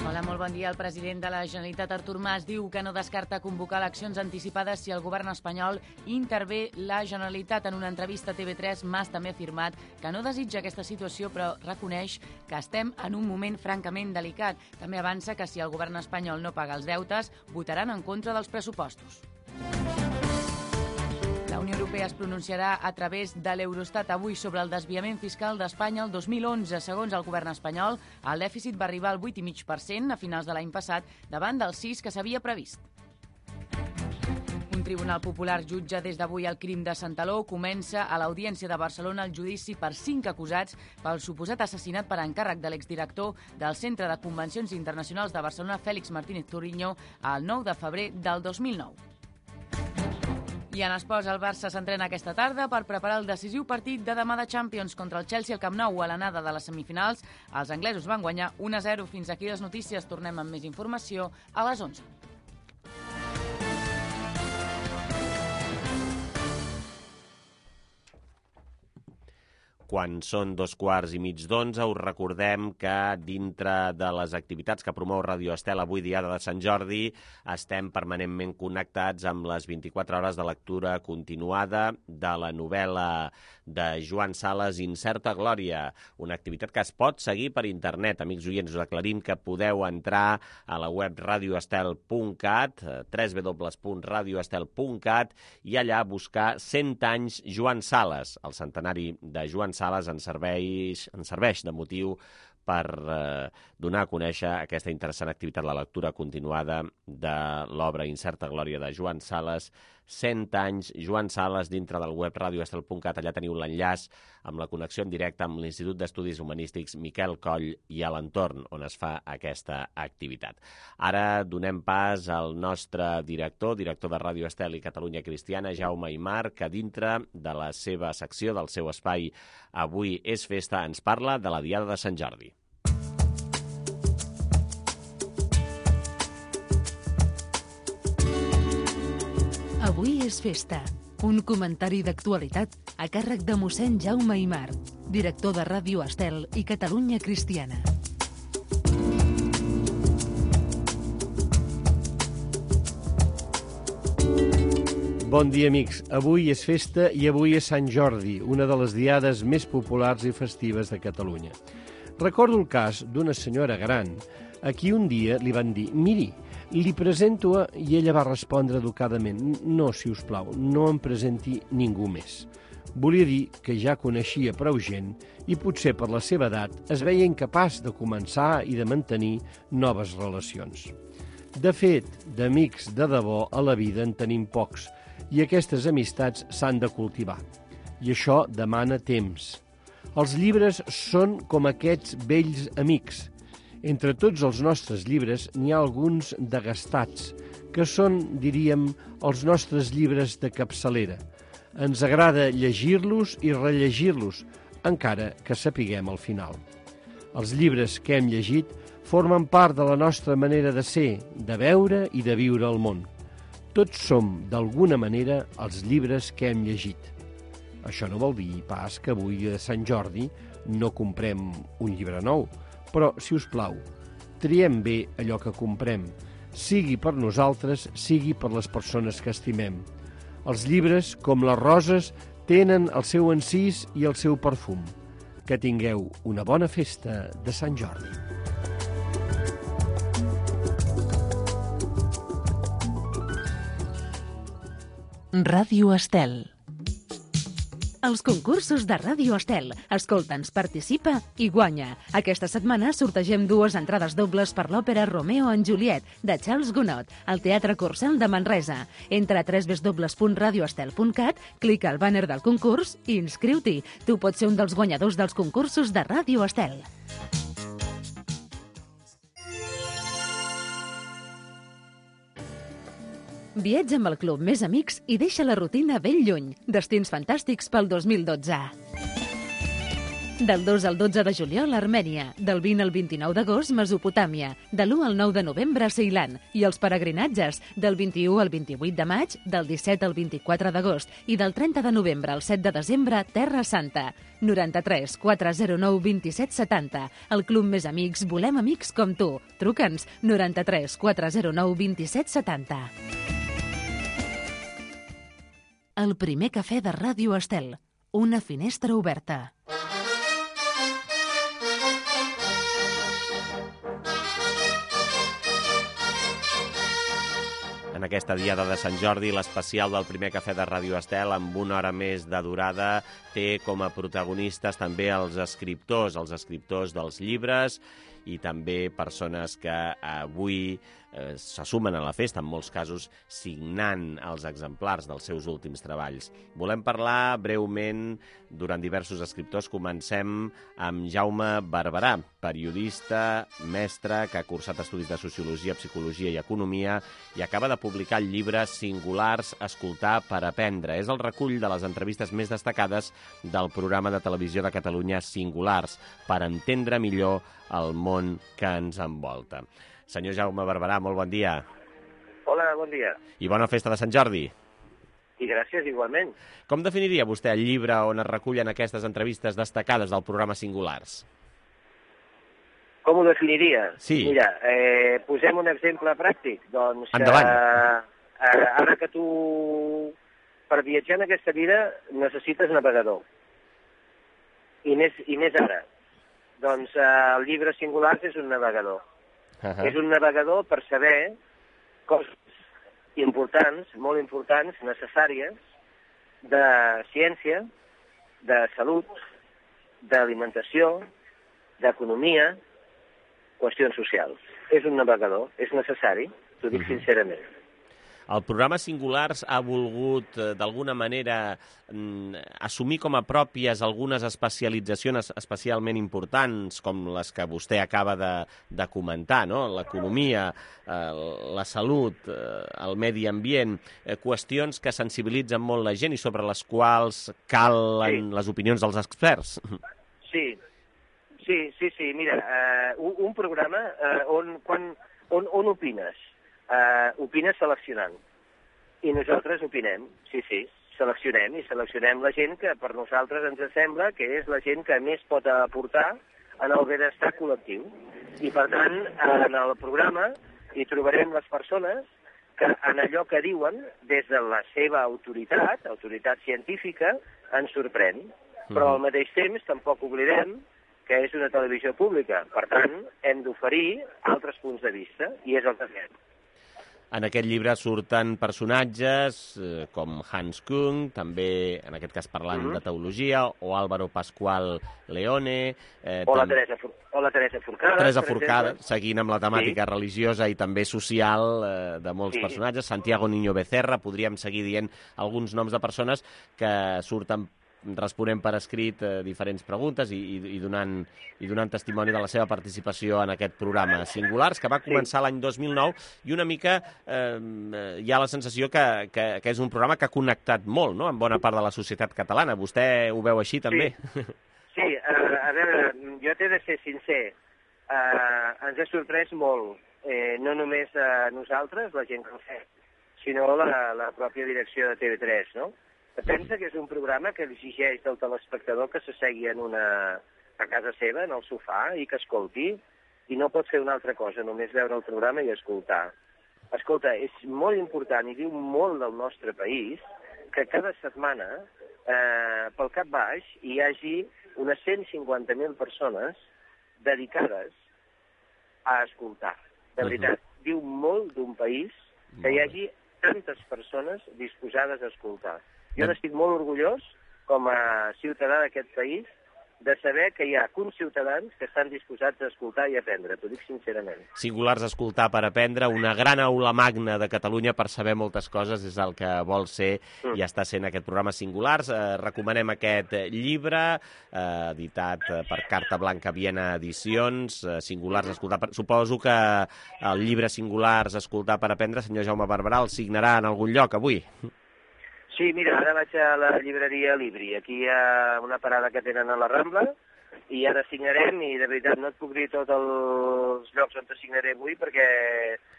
Hola, molt bon dia. El president de la Generalitat, Artur Mas, diu que no descarta convocar eleccions anticipades si el govern espanyol intervé la Generalitat. En una entrevista a T V tres, Mas també ha afirmat que no desitja aquesta situació, però reconeix que estem en un moment francament delicat. També avança que si el govern espanyol no paga els deutes, votaran en contra dels pressupostos. La Unió Europea es pronunciarà a través de l'Eurostat avui sobre el desviament fiscal d'Espanya el dos mil onze. Segons el govern espanyol, el dèficit va arribar al vuit coma cinc per cent a finals de l'any passat, davant del sis que s'havia previst. Un tribunal popular jutja des d'avui el crim de Santaló. Comença a l'Audiència de Barcelona el judici per cinc acusats pel suposat assassinat per encàrrec de l'exdirector del Centre de Convencions Internacionals de Barcelona, Félix Martínez Torriño, el nou de febrer del dos mil nou. I en esports, el Barça s'entrena aquesta tarda per preparar el decisiu partit de demà de Champions contra el Chelsea al Camp Nou a l'anada de les semifinals. Els anglesos van guanyar un a zero. Fins aquí les notícies. Tornem amb més informació a les onze. Quan són dos quarts i mig d'onze, us recordem que dintre de les activitats que promou Radio Estel avui, Diada de Sant Jordi, estem permanentment connectats amb les vint-i-quatre hores de lectura continuada de la novel·la de Joan Sales, Incerta Glòria, una activitat que es pot seguir per internet. Amics oients, us aclarim que podeu entrar a la web radio estel punt cat, w w w punt radio estel punt cat, i allà buscar cent anys Joan Sales, el centenari de Joan Sales, Sales ens serveix, ens serveix de motiu per eh, donar a conèixer aquesta interessant activitat, la lectura continuada de l'obra Incerta Glòria de Joan Sales, cent anys Joan Sales, dintre del web radio estel punt cat. Allà teniu l'enllaç amb la connexió en directe amb l'Institut d'Estudis Humanístics Miquel Coll i a l'entorn on es fa aquesta activitat. Ara donem pas al nostre director, director de Ràdio Estel i Catalunya Cristiana, Jaume Aymar, que dintre de la seva secció, del seu espai Avui és festa, ens parla de la Diada de Sant Jordi. Avui és festa. Un comentari d'actualitat a càrrec de mossèn Jaume Aymar, director de Ràdio Estel i Catalunya Cristiana. Bon dia, amics. Avui és festa i avui és Sant Jordi, una de les diades més populars i festives de Catalunya. Recordo el cas d'una senyora gran a qui un dia li van dir «Miri, li presento a...» i ella va respondre educadament «No, si us plau, no em presenti ningú més». Volia dir que ja coneixia prou gent i potser per la seva edat es veia incapaç de començar i de mantenir noves relacions. De fet, d'amics de debò a la vida en tenim pocs i aquestes amistats s'han de cultivar. I això demana temps. Els llibres són com aquests vells amics. Entre tots els nostres llibres n'hi ha alguns de gastats, que són, diríem, els nostres llibres de capçalera. Ens agrada llegir-los i rellegir-los, encara que sapiguem el final. Els llibres que hem llegit formen part de la nostra manera de ser, de veure i de viure el món. Tots som, d'alguna manera, els llibres que hem llegit. Això no vol dir pas que avui a Sant Jordi no comprem un llibre nou, però, si us plau, triem bé allò que comprem, sigui per nosaltres, sigui per les persones que estimem. Els llibres, com les roses, tenen el seu encís i el seu perfum. Que tingueu una bona festa de Sant Jordi. Ràdio Estel. Els concursos de Ràdio Estel. Escolta'ns, participa i guanya. Aquesta setmana sortegem dues entrades dobles per l'òpera Romeo and Juliet, de Charles Gounod, al Teatre Corcel de Manresa. Entra a w w w punt radio estel punt cat, clica al bàner del concurs i inscriu-t'hi. Tu pots ser un dels guanyadors dels concursos de Ràdio Estel. Viatja amb el Club Més Amics i deixa la rutina ben lluny. Destins fantàstics pel dos mil dotze. Del dos al dotze de juliol, Armènia. Del vint al vint-i-nou d'agost, Mesopotàmia. De l'u al nou de novembre, Ceilan. I els peregrinatges, del vint-i-u al vint-i-vuit de maig, del disset al vint-i-quatre d'agost i del trenta de novembre al set de desembre, Terra Santa. noranta-tres quatre zero nou vint-i-set setanta. El Club Més Amics, volem amics com tu. Truca'ns noranta-tres quatre zero nou vint-i-set setanta. El primer cafè de Ràdio Estel. Una finestra oberta. En aquesta diada de Sant Jordi, l'especial del primer cafè de Ràdio Estel, amb una hora més de durada, té com a protagonistes també els escriptors, els escriptors dels llibres i també persones que avui eh, se sumen a la festa, en molts casos signant els exemplars dels seus últims treballs. Volem parlar breument durant diversos escriptors. Comencem amb Jaume Barberà, periodista, mestre, que ha cursat estudis de Sociologia, Psicologia i Economia i acaba de publicar el llibre Singulars, escoltar per aprendre. És el recull de les entrevistes més destacades del programa de televisió de Catalunya Singulars, per entendre millor el món que ens envolta. Senyor Jaume Barberà, molt bon dia. Hola, bon dia. I bona festa de Sant Jordi. I gràcies, igualment. Com definiria vostè el llibre on es recullen aquestes entrevistes destacades del programa Singulars? Com ho definiria? Sí. Mira, eh, posem un exemple pràctic. Doncs, endavant. Eh, ara que tu, per viatjar en aquesta vida, necessites navegador. I més, i més ara. Doncs eh, el llibre Singulars és un navegador. Uh-huh. És un navegador per saber coses importants, molt importants, necessàries, de ciència, de salut, d'alimentació, d'economia, qüestions socials. És un navegador, és necessari, t'ho dic uh-huh. sincerament. El programa Singulars ha volgut, d'alguna manera, assumir com a pròpies algunes especialitzacions especialment importants, com les que vostè acaba de, de comentar, no? L'economia, eh, la salut, eh, el medi ambient, eh, qüestions que sensibilitzen molt la gent i sobre les quals calen sí. les opinions dels experts. Sí, sí, sí, sí. Mira, eh, un, un programa eh, on, quan, on, on opines? Uh, opines seleccionant. I nosaltres opinem, sí, sí, seleccionem i seleccionem la gent que per nosaltres ens sembla que és la gent que més pot aportar en el benestar col·lectiu. I per tant, en el programa hi trobarem les persones que en allò que diuen, des de la seva autoritat, autoritat científica, ens sorprèn. Però al mateix temps tampoc oblidem que és una televisió pública. Per tant, hem d'oferir altres punts de vista, i és el que fem. En aquest llibre surten personatges eh, com Hans Kung, també, en aquest cas parlant mm-hmm. de teologia, o Álvaro Pascual Leone... Eh, o, la Teresa, o la Teresa Forcada. Teresa Forcada, seguint amb la temàtica sí. religiosa i també social eh, de molts sí. personatges. Santiago Niño Becerra, podríem seguir dient alguns noms de persones que surten responent per escrit eh, diferents preguntes i, i, i, donant, i donant testimoni de la seva participació en aquest programa Singulars, que va començar sí. l'any dos mil nou, i una mica eh, hi ha la sensació que, que, que és un programa que ha connectat molt, no?, amb bona part de la societat catalana. Vostè ho veu així, també? Sí, sí uh, a veure, jo t'he de ser sincer. Uh, ens ha sorprès molt, eh, no només a nosaltres, la gent que ho fa, sinó la, la pròpia direcció de T V tres, no? Pensa que és un programa que exigeix del telespectador que s'assegui en una, a casa seva, en el sofà, i que escolti, i no pot fer una altra cosa, només veure el programa i escoltar. Escolta, és molt important i diu molt del nostre país que cada setmana, eh, pel cap baix, hi hagi unes cent cinquanta mil persones dedicades a escoltar. De veritat, uh-huh. diu molt d'un país que hi hagi tantes persones disposades a escoltar. Jo n'estic molt orgullós, com a ciutadà d'aquest país, de saber que hi ha conciutadans que estan disposats a escoltar i aprendre, t'ho dic sincerament. Singulars, escoltar per aprendre, una gran aula magna de Catalunya per saber moltes coses, és el que vol ser mm. i està sent aquest programa Singulars. Eh, recomanem aquest llibre, eh, editat per Carta Blanca Viena Edicions, eh, Singulars, escoltar per... Suposo que el llibre Singulars, escoltar per aprendre, senyor Jaume Barberà, el signarà en algun lloc avui? Sí, mira, ara vaig a la llibreria Libri. Aquí hi ha una parada que tenen a la Rambla i ara signarem i de veritat no et puc dir tots els llocs on te signaré avui perquè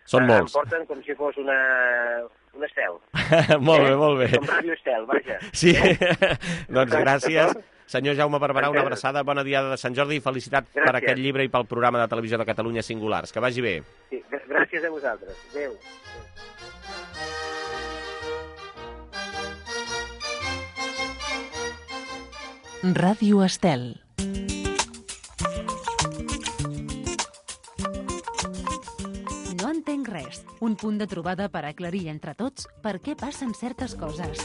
són molts. Em porten com si fos una, un estel. Molt bé, molt bé. Com Ràdio Estel, vaja. Sí, doncs gràcies. Senyor Jaume Barberà, una abraçada, bona diada de Sant Jordi i felicitat gràcies. Per aquest llibre i pel programa de televisió de Catalunya Singulars. Que vagi bé. Sí, gràcies a vosaltres. Adéu. Ràdio Estel. No entenc res. Un punt de trobada per aclarir entre tots per què passen certes coses.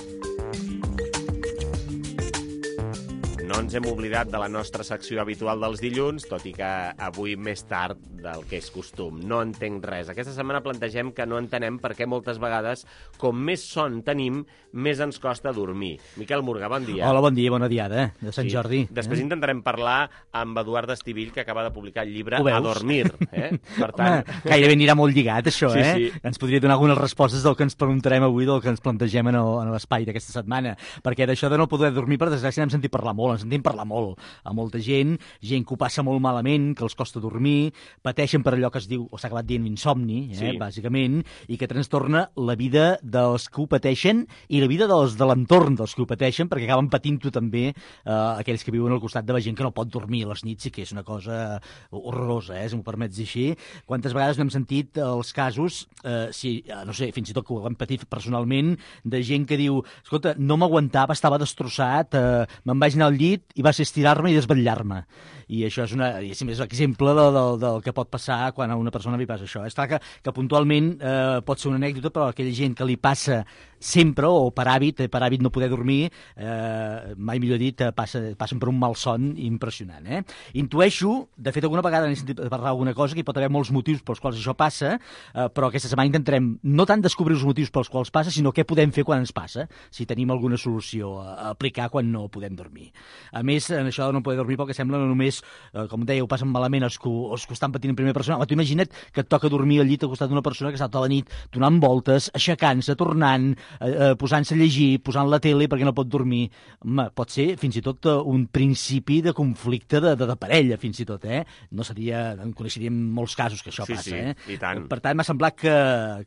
No no ens hem oblidat de la nostra secció habitual dels dilluns, tot i que avui més tard del que és costum. No entenc res. Aquesta setmana plantegem que no entenem per què moltes vegades, com més son tenim, més ens costa dormir. Miquel Murga, bon dia. Hola, bon dia, bona diada, eh? De Sant Sí. Jordi. Després eh? intentarem parlar amb Eduard Estivill, que acaba de publicar el llibre A dormir. Eh? Per Home, tant... gairebé anirà molt lligat, això, Sí, eh? sí. Ens podria donar algunes respostes del que ens preguntarem avui, del que ens plantegem en el- en l'espai d'aquesta setmana. Perquè d'això de no poder dormir, per desgràcia, n'hem sentit parlar molt, ens sentim parlar molt a molta gent, gent que ho passa molt malament, que els costa dormir, pateixen per allò que es diu, o s'ha acabat dient insomni, eh, Sí. bàsicament, i que trastorna la vida dels que ho pateixen i la vida dels de l'entorn dels que ho pateixen, perquè acaben patint-ho també eh, aquells que viuen al costat de la gent que no pot dormir a les nits i que és una cosa horrorosa, eh, si m'ho permets dir així. Quantes vegades no hem sentit els casos, eh, si, eh, no sé, fins i tot que ho hem patit personalment, de gent que diu, escolta, no m'aguantava, estava destrossat, eh, me'n vaig anar al llit i va ser estirar-me i desvetllar-me. I això és, una, és un exemple de, de, del que pot passar quan a una persona li passa això. És clar que, que puntualment eh, pot ser una anècdota, però aquella gent que li passa sempre, o per hàbit, eh, per hàbit no poder dormir, eh, mai millor dit, eh, passa, passen per un malson impressionant. Eh? Intueixo, de fet, alguna vegada n'he sentit parlar alguna cosa, que hi pot haver molts motius pels quals això passa, eh, però aquesta setmana intentarem no tant descobrir els motius pels quals passa, sinó què podem fer quan ens passa, si tenim alguna solució a, a aplicar quan no podem dormir. A més, en això de no poder dormir, pel que sembla, no només, eh, com deia, ho passen malament els que, els que ho estan patint en primera persona. Home, tu imagina't que et toca dormir al llit al costat d'una persona que està tota la nit donant voltes, aixecant-se, tornant, eh, eh, posant-se a llegir, posant la tele perquè no pot dormir. Home, pot ser fins i tot eh, un principi de conflicte de, de, de parella, fins i tot, eh? No seria... En coneixeríem molts casos que això Sí, passa, sí, eh? i tant. Per tant, m'ha semblat que,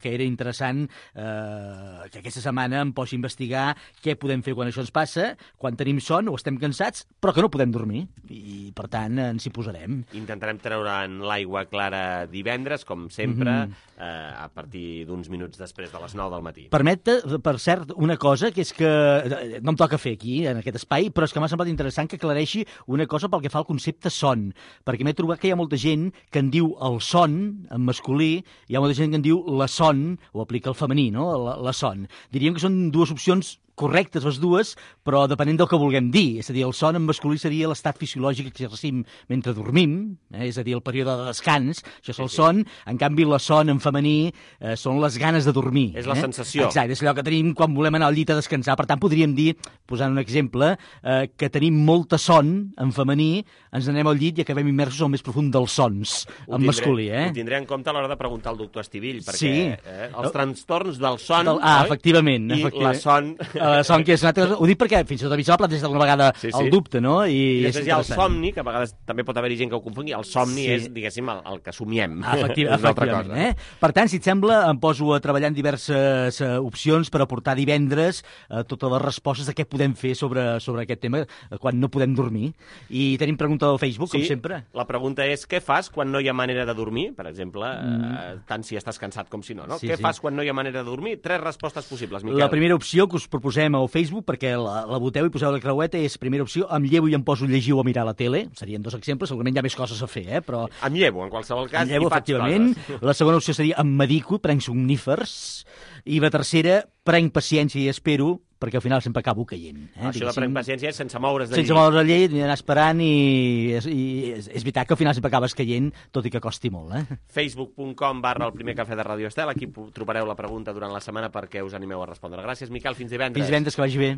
que era interessant eh, que aquesta setmana em posi a investigar què podem fer quan això ens passa, quan tenim son o estem cansats, però que no podem dormir. I, per tant, ens hi posarem. Intentarem treure en l'aigua clara divendres, com sempre, Mhm. eh, a partir d'uns minuts després de les nou del matí. Permet, per cert, una cosa, que és que eh, no em toca fer aquí, en aquest espai, però és que m'ha semblat interessant que aclareixi una cosa pel que fa al concepte son, perquè m'he trobat que hi ha molta gent que en diu el son, en masculí, hi ha molta gent que en diu la son, o aplica el femení, no?, la, la son. Diríem que són dues opcions correctes les dues, però depenent del que vulguem dir. És a dir, el son en masculí seria l'estat fisiològic que exercim mentre dormim, eh? És a dir, el període de descans, això és el son. En canvi, la son en femení eh, són les ganes de dormir. És la eh? sensació. Exacte, és allò que tenim quan volem anar al llit a descansar. Per tant, podríem dir, posant un exemple, eh, que tenim molta son en femení, ens anem al llit i acabem immersos al més profund dels sons, Ho en tindré- masculí. Eh? Ho tindré en compte a l'hora de preguntar al doctor Estivill, perquè Sí. eh, els trastorns del son... Del- ah, oi? efectivament. I efectivament. la son... La son, que és una altra cosa. Ho dic perquè fins i tot a mi se m'ha plantejat alguna vegada Sí, sí. el dubte, no? I, I és després hi ha el interessant. somni, que a vegades també pot haver-hi gent que ho confongui. El somni Sí. és, diguéssim, el, el que somiem. Efectiv és una altra efectivament, cosa. eh? Per tant, si et sembla, em poso a treballar en diverses uh, opcions per aportar divendres uh, totes les respostes de què podem fer sobre, sobre aquest tema uh, quan no podem dormir. I tenim pregunta al Facebook, Sí, com sempre. la pregunta és què fas quan no hi ha manera de dormir? Per exemple, Mm. eh, tant si estàs cansat com si no. no? Sí, què sí. fas quan no hi ha manera de dormir? Tres respostes possibles, Miquel. La primera opció que us proposem al Facebook, perquè la, la voteu i poseu la creueta, és primera opció, em llevo i em poso a llegir o a mirar la tele. Serien dos exemples, segurament hi ha més coses a fer, eh? Però... Em llevo, en qualsevol cas, Em llevo, i faig efectivament. coses. La segona opció seria em medico, prenc somnífers. I la tercera, prenc paciència i espero, perquè al final sempre acabo caient. Eh? Això de prenc paciència és sense moure's de Sense llit. moure's de llit, anar esperant i, és, i és, és veritat que al final sempre acabes caient, tot i que costi molt. Eh? facebook punt com barra el primer cafè de Radio Estel. Aquí pu- trobareu la pregunta durant la setmana perquè us animeu a respondre. Gràcies, Miquel. Fins divendres. Fins divendres, que vagi bé.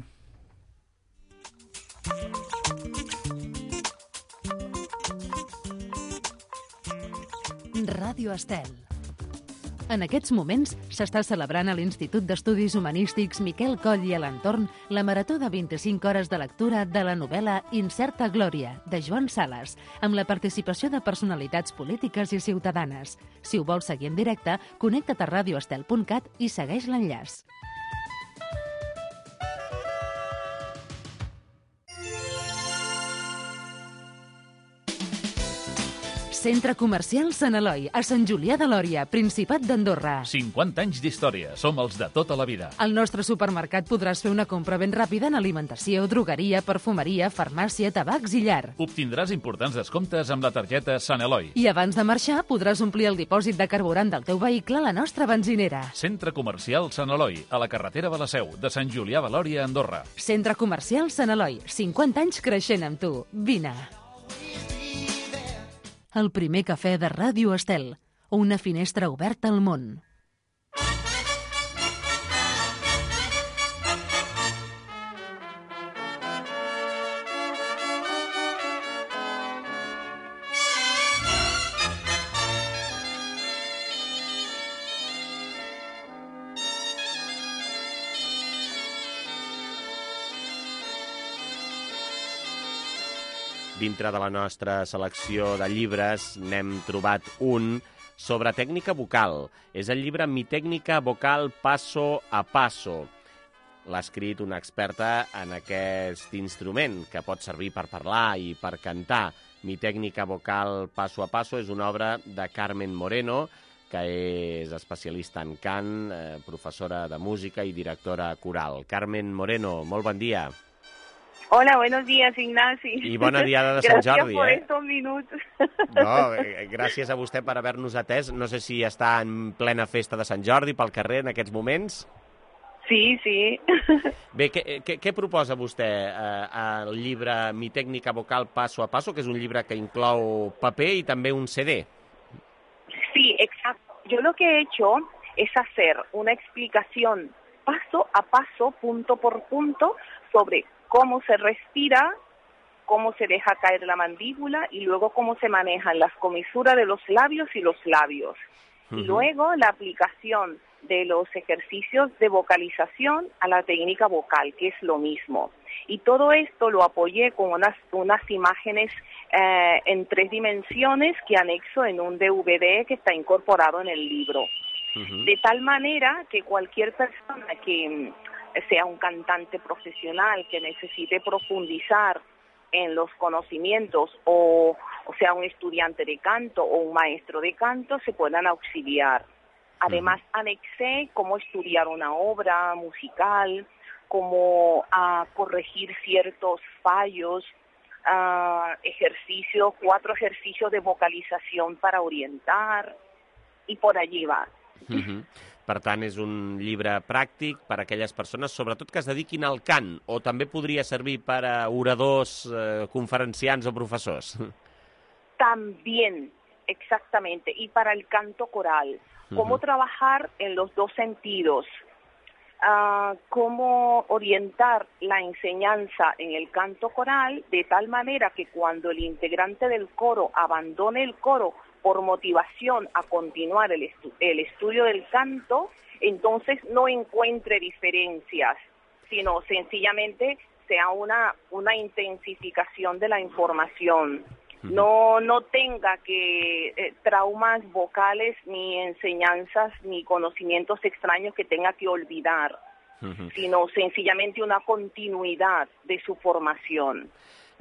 Ràdio Estel. En aquests moments s'està celebrant a l'Institut d'Estudis Humanístics Miquel Coll i a l'entorn la marató de vint-i-cinc hores de lectura de la novel·la Incerta Glòria, de Joan Sales, amb la participació de personalitats polítiques i ciutadanes. Si ho vols seguir en directe, connecta't a radioestel punt cat i segueix l'enllaç. Centre Comercial Sant Eloi, a Sant Julià de Lòria, Principat d'Andorra. cinquanta anys d'història. Som els de tota la vida. Al nostre supermercat podràs fer una compra ben ràpida en alimentació, drogueria, perfumeria, farmàcia, tabacs i llar. Obtindràs importants descomptes amb la targeta Sant Eloi. I abans de marxar podràs omplir el dipòsit de carburant del teu vehicle a la nostra benzinera. Centre Comercial Sant Eloi, a la carretera de la Seu, de Sant Julià de Lòria, Andorra. Centre Comercial Sant Eloi, cinquanta anys creixent amb tu. Vine. El primer cafè de Ràdio Estel, una finestra oberta al món. Dintre de la nostra selecció de llibres n'hem trobat un sobre tècnica vocal. És el llibre Mi tècnica vocal paso a paso. L'ha escrit una experta en aquest instrument, que pot servir per parlar i per cantar. Mi tècnica vocal paso a paso és una obra de Carmen Moreno, que és especialista en cant, eh, professora de música i directora coral. Carmen Moreno, molt bon dia. Hola, buenos días, Ignasi. I bona diada de Sant Jordi, Gracias por eh? estos minutos. No, eh, gràcies a vostè per haver-nos atès. No sé si està en plena festa de Sant Jordi pel carrer en aquests moments. Sí, sí. Bé, què, què, què proposa vostè eh, al llibre Mi tècnica vocal paso a paso, que és un llibre que inclou paper i també un C D? Sí, exacto. Yo lo que he hecho es hacer una explicación paso a paso, punto por punto, sobre cómo se respira, cómo se deja caer la mandíbula y luego cómo se manejan las comisuras de los labios y los labios. Uh-huh. Y luego la aplicación de los ejercicios de vocalización a la técnica vocal, que es lo mismo. Y todo esto lo apoyé con unas, unas imágenes eh, en tres dimensiones que anexo en un D V D que está incorporado en el libro. Uh-huh. De tal manera que cualquier persona que sea un cantante profesional que necesite profundizar en los conocimientos o, o sea un estudiante de canto o un maestro de canto se puedan auxiliar. Además, uh-huh. anexé cómo estudiar una obra musical, cómo uh, corregir ciertos fallos, uh, ejercicios, cuatro ejercicios de vocalización para orientar, y por allí va. Uh-huh. Per tant, és un llibre pràctic per a aquelles persones, sobretot que es dediquin al cant, o també podria servir per a oradors, eh, conferenciants o professors? También, exactamente, y para el canto coral. Cómo uh-huh. trabajar en los dos sentidos, uh, cómo orientar la enseñanza en el canto coral de tal manera que cuando el integrante del coro abandone el coro por motivación a continuar el, estu- el estudio del canto, entonces no encuentre diferencias, sino sencillamente sea una, una intensificación de la información. No, no tenga que eh, traumas vocales, ni enseñanzas, ni conocimientos extraños que tenga que olvidar, uh-huh. sino sencillamente una continuidad de su formación.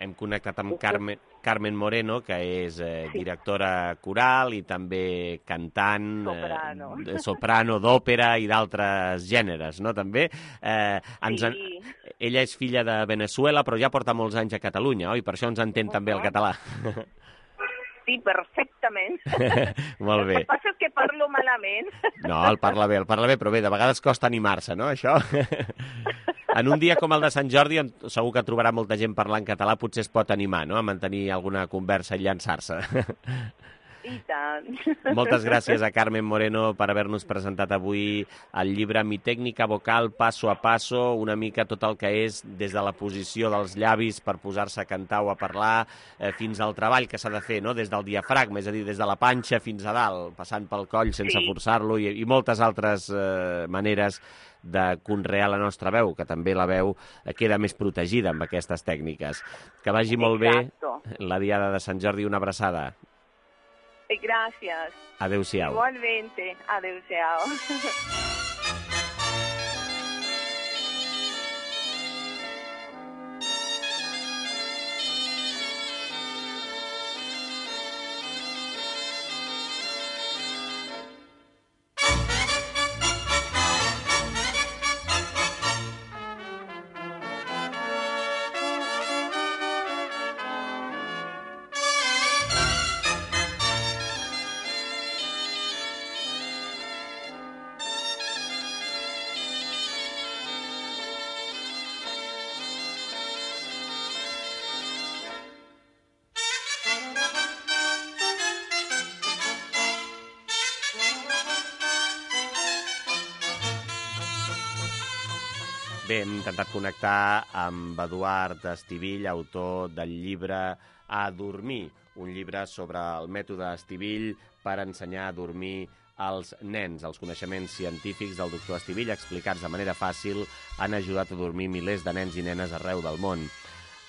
Hem connectat amb Carmen, Carmen Moreno, que és eh, sí. directora coral i també cantant, soprano, eh, soprano d'òpera i d'altres gèneres, no?, també. Eh, ens en... sí. Ella és filla de Venezuela, però ja porta molts anys a Catalunya, oi? Per això ens entén uh-huh. també el català. Sí, perfectament. Molt bé. El que passa és que parlo malament. No, el parla bé, el parla bé, però bé, de vegades costa animar-se, no, això? En un dia com el de Sant Jordi, segur que trobarà molta gent parlant català, potser es pot animar, no?, a mantenir alguna conversa i llançar-se. I tant. Moltes gràcies a Carmen Moreno per haver-nos presentat avui el llibre Mi tècnica vocal paso a paso, una mica tot el que és des de la posició dels llavis per posar-se a cantar o a parlar, eh, fins al treball que s'ha de fer, no?, des del diafragma, és a dir, des de la panxa fins a dalt, passant pel coll sense sí. forçar-lo, i, i moltes altres eh, maneres de conrear la nostra veu, que també la veu queda més protegida amb aquestes tècniques. Que vagi molt Exacto. bé la diada de Sant Jordi, una abraçada. Gracias. Adéu-siau. Igualmente. Adéu-siau. Bé, hem intentat connectar amb Eduard Estivill, autor del llibre A dormir, un llibre sobre el mètode Estivill per ensenyar a dormir als nens. Els coneixements científics del doctor Estivill, explicats de manera fàcil, han ajudat a dormir milers de nens i nenes arreu del món.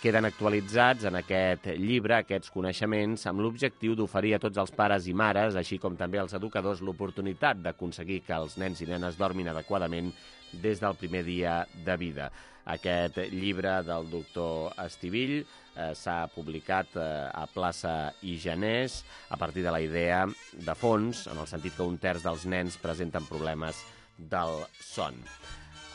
Queden actualitzats en aquest llibre aquests coneixements amb l'objectiu d'oferir a tots els pares i mares, així com també als educadors, l'oportunitat d'aconseguir que els nens i nenes dormin adequadament des del primer dia de vida. Aquest llibre del doctor Estivill eh, s'ha publicat eh, a Plaça i Genés a partir de la idea de fons, en el sentit que un terç dels nens presenten problemes del son.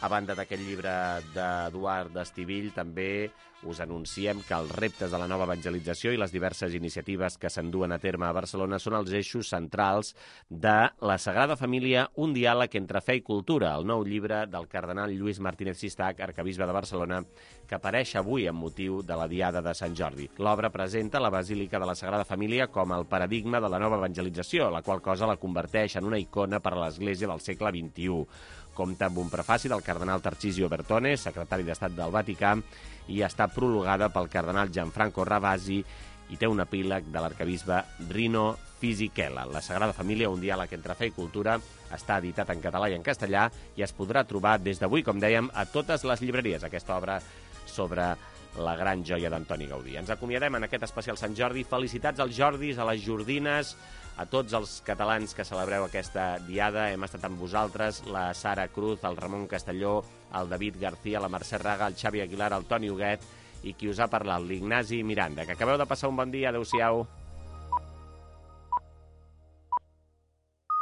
A banda d'aquest llibre d'Eduard Estivill, també us anunciem que els reptes de la nova evangelització i les diverses iniciatives que s'enduen a terme a Barcelona són els eixos centrals de La Sagrada Família, un diàleg entre fe i cultura, el nou llibre del cardenal Lluís Martínez Sistac, arquebisbe de Barcelona, que apareix avui amb motiu de la Diada de Sant Jordi. L'obra presenta la Basílica de la Sagrada Família com el paradigma de la nova evangelització, la qual cosa la converteix en una icona per a l'Església del segle vint-i-u. Compta amb un prefaci del cardenal Tarcisio Bertone, secretari d'Estat del Vaticà, i està prologada pel cardenal Gianfranco Ravasi i té un epíleg de l'arquebisbe Rino Fisichella. La Sagrada Família, un diàleg entre fe i cultura, està editat en català i en castellà i es podrà trobar des d'avui, com dèiem, a totes les llibreries, aquesta obra sobre la gran joia d'Antoni Gaudí. Ens acomiadem en aquest especial Sant Jordi. Felicitats als Jordis, a les Jordines, a tots els catalans que celebreu aquesta diada. Hem estat amb vosaltres, la Sara Cruz, el Ramon Castelló, el David García, la Mercè Raga, el Xavi Aguilar, el Toni Huguet i qui us ha parlat, l'Ignasi Miranda. Que acabeu de passar un bon dia. Adéu-siau.